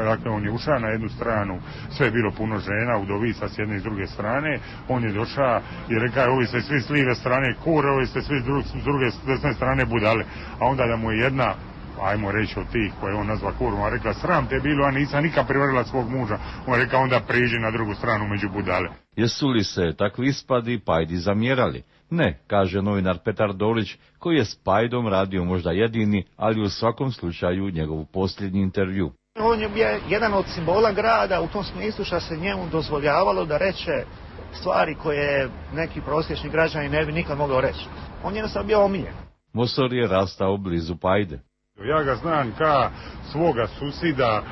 dakle on je ušao na jednu stranu, sve je bilo puno žena, udovica s jedne i s druge strane, on je došao i rekao, ovi ste svi s lijeve strane kure, ovi ste svi s druge desne strane budale, a onda da mu je jedna, ajmo reći od tih koje on nazva kurom, a rekla, sram te bilo, a nisam nikad privarila svog muža, on rekao, onda priđi na drugu stranu među budale. Jesu li se takvi ispadi Pajdi zamjerali? Ne, kaže novinar Petar Dolić, koji je s Pajdom radio možda jedini, ali u svakom slučaju njegov posljednji intervju. On je jedan od simbola grada u tom smislu što se njemu dozvoljavalo da reče stvari koje neki prosječni građani ne bi nikad mogao reći. On je jednostavno bio omiljen. Mosor je rastao blizu Pajde. Ja ga znam ka svoga susida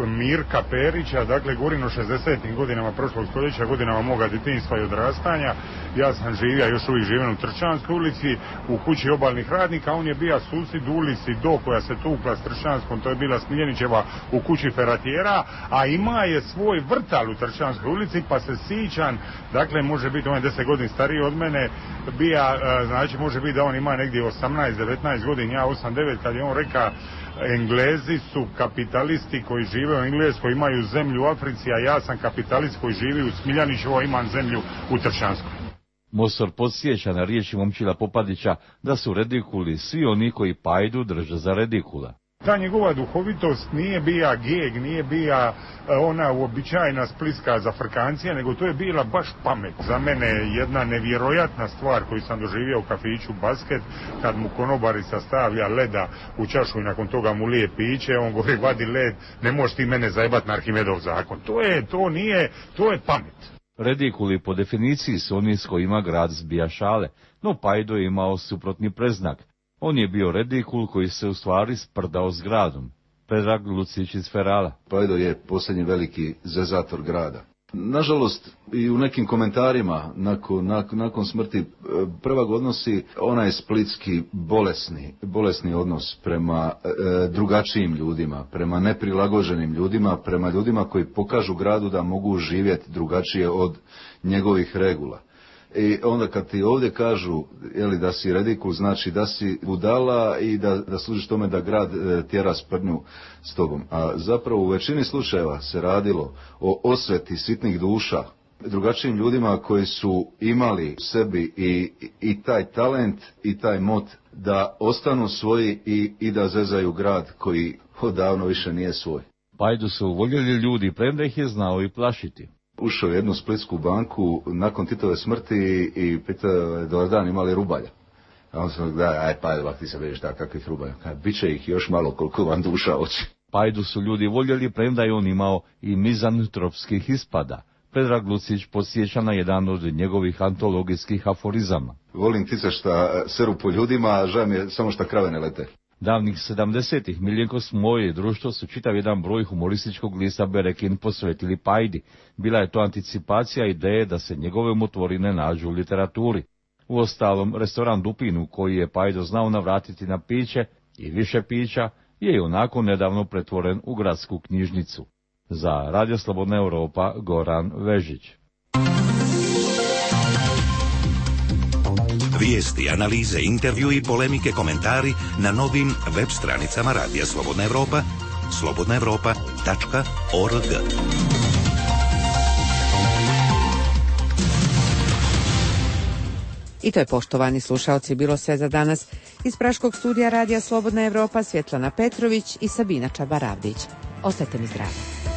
Mirka Perića, dakle govorim o šezdesetim godinama prošlog stoljeća, godinama moga djetinjstva i odrastanja. Ja sam živio, još uvijek živim u Tršćanskoj ulici, u kući obalnih radnika, on je bio susjed u ulici do koja se tukla s Tršćanskom, to je bila Smiljanićeva u kući Feratjera, a ima je svoj vrtal u Tršćanskoj ulici, pa se sićan, dakle može biti, on je deset godina stariji od mene, bija, znači može biti da on ima negdje osamnaest devetnaest godina, ja osam devet, kad je on rekao, Englezi su kapitalisti koji žive u Engleskoj, imaju zemlju u Africi, a ja sam kapitalist koji živi u Smiljanićevo, imam zemlju u Tršćanskoj. Mosor podsjeća na riječi Momčila Popadića da su redikuli svi oni koji Pajdu drže za redikula. Ta njegova duhovitost nije bija geg, nije bija ona uobičajena splitska zafrkancija, nego to je bila baš pamet. Za mene jedna nevjerojatna stvar koju sam doživio u kafiću Basket, kad mu konobarica stavlja leda u čašu i nakon toga mu lije piće, on govori, vadi led, ne možeš ti mene zajebat na Arhimedov zakon. To je, to nije, to je pamet. Redikuli po definiciji su oni s kojima grad zbija šale, no Pajdo je imao suprotni preznak. On je bio redikul koji se u stvari sprdao s gradom. Predrag Lucić iz Ferala. Pajdo je posljednji veliki zezator grada. Nažalost, i u nekim komentarima nakon, nakon, nakon smrti prvog odnosi onaj splitski bolesni, bolesni odnos prema e, drugačijim ljudima, prema neprilagođenim ljudima, prema ljudima koji pokažu gradu da mogu živjeti drugačije od njegovih regula. I onda kad ti ovdje kažu jeli, da si redikul, znači da si budala i da, da služiš tome da grad e, tjera sprdnju s tobom. A zapravo u većini slučajeva se radilo o osveti sitnih duša, drugačijim ljudima koji su imali u sebi i, i taj talent i taj mot da ostanu svoji i, i da zezaju grad koji odavno više nije svoj. Pajdu su voljeli ljudi, premda ih je znao i plašiti. ušao u jednu splitsku banku nakon Titove smrti i pitao je dobar dan, imali rubalja. A on sam da, aj Pajdo, ti se vidiš da kakvih rubalja. Biće ih još malo koliko vam duša hoće. Pajdu su ljudi voljeli, premda je on imao i mizantropskih ispada. Predrag Lucić podsjeća na jedan od njegovih antologijskih aforizama. Volim tica šta seru po ljudima, a žao mi je samo šta krave ne lete. Davnih sedamdesetih Miljenko Smoje i društvo su čitav jedan broj humorističkog lista Berekin posvetili Pajdi. Bila je to anticipacija ideje da se njegove umotvorine nađu u literaturi. Uostalom, restoran Dupinu, koji je Pajdo znao navratiti na piće i više pića, je i onako nedavno pretvoren u gradsku knjižnicu. Za Radio Slobodna Europa, Goran Vežić. Vijesti, analize, intervju i polemike, komentari na novim web stranicama Radija Slobodna Europa, slobodna europa tačka org. I to je, poštovani slušaoci, bilo sve za danas. Iz Praškog studija Radija Slobodna Europa Svjetlana Petrović i Sabina Čabaravdić. Ostajte mi zdravi.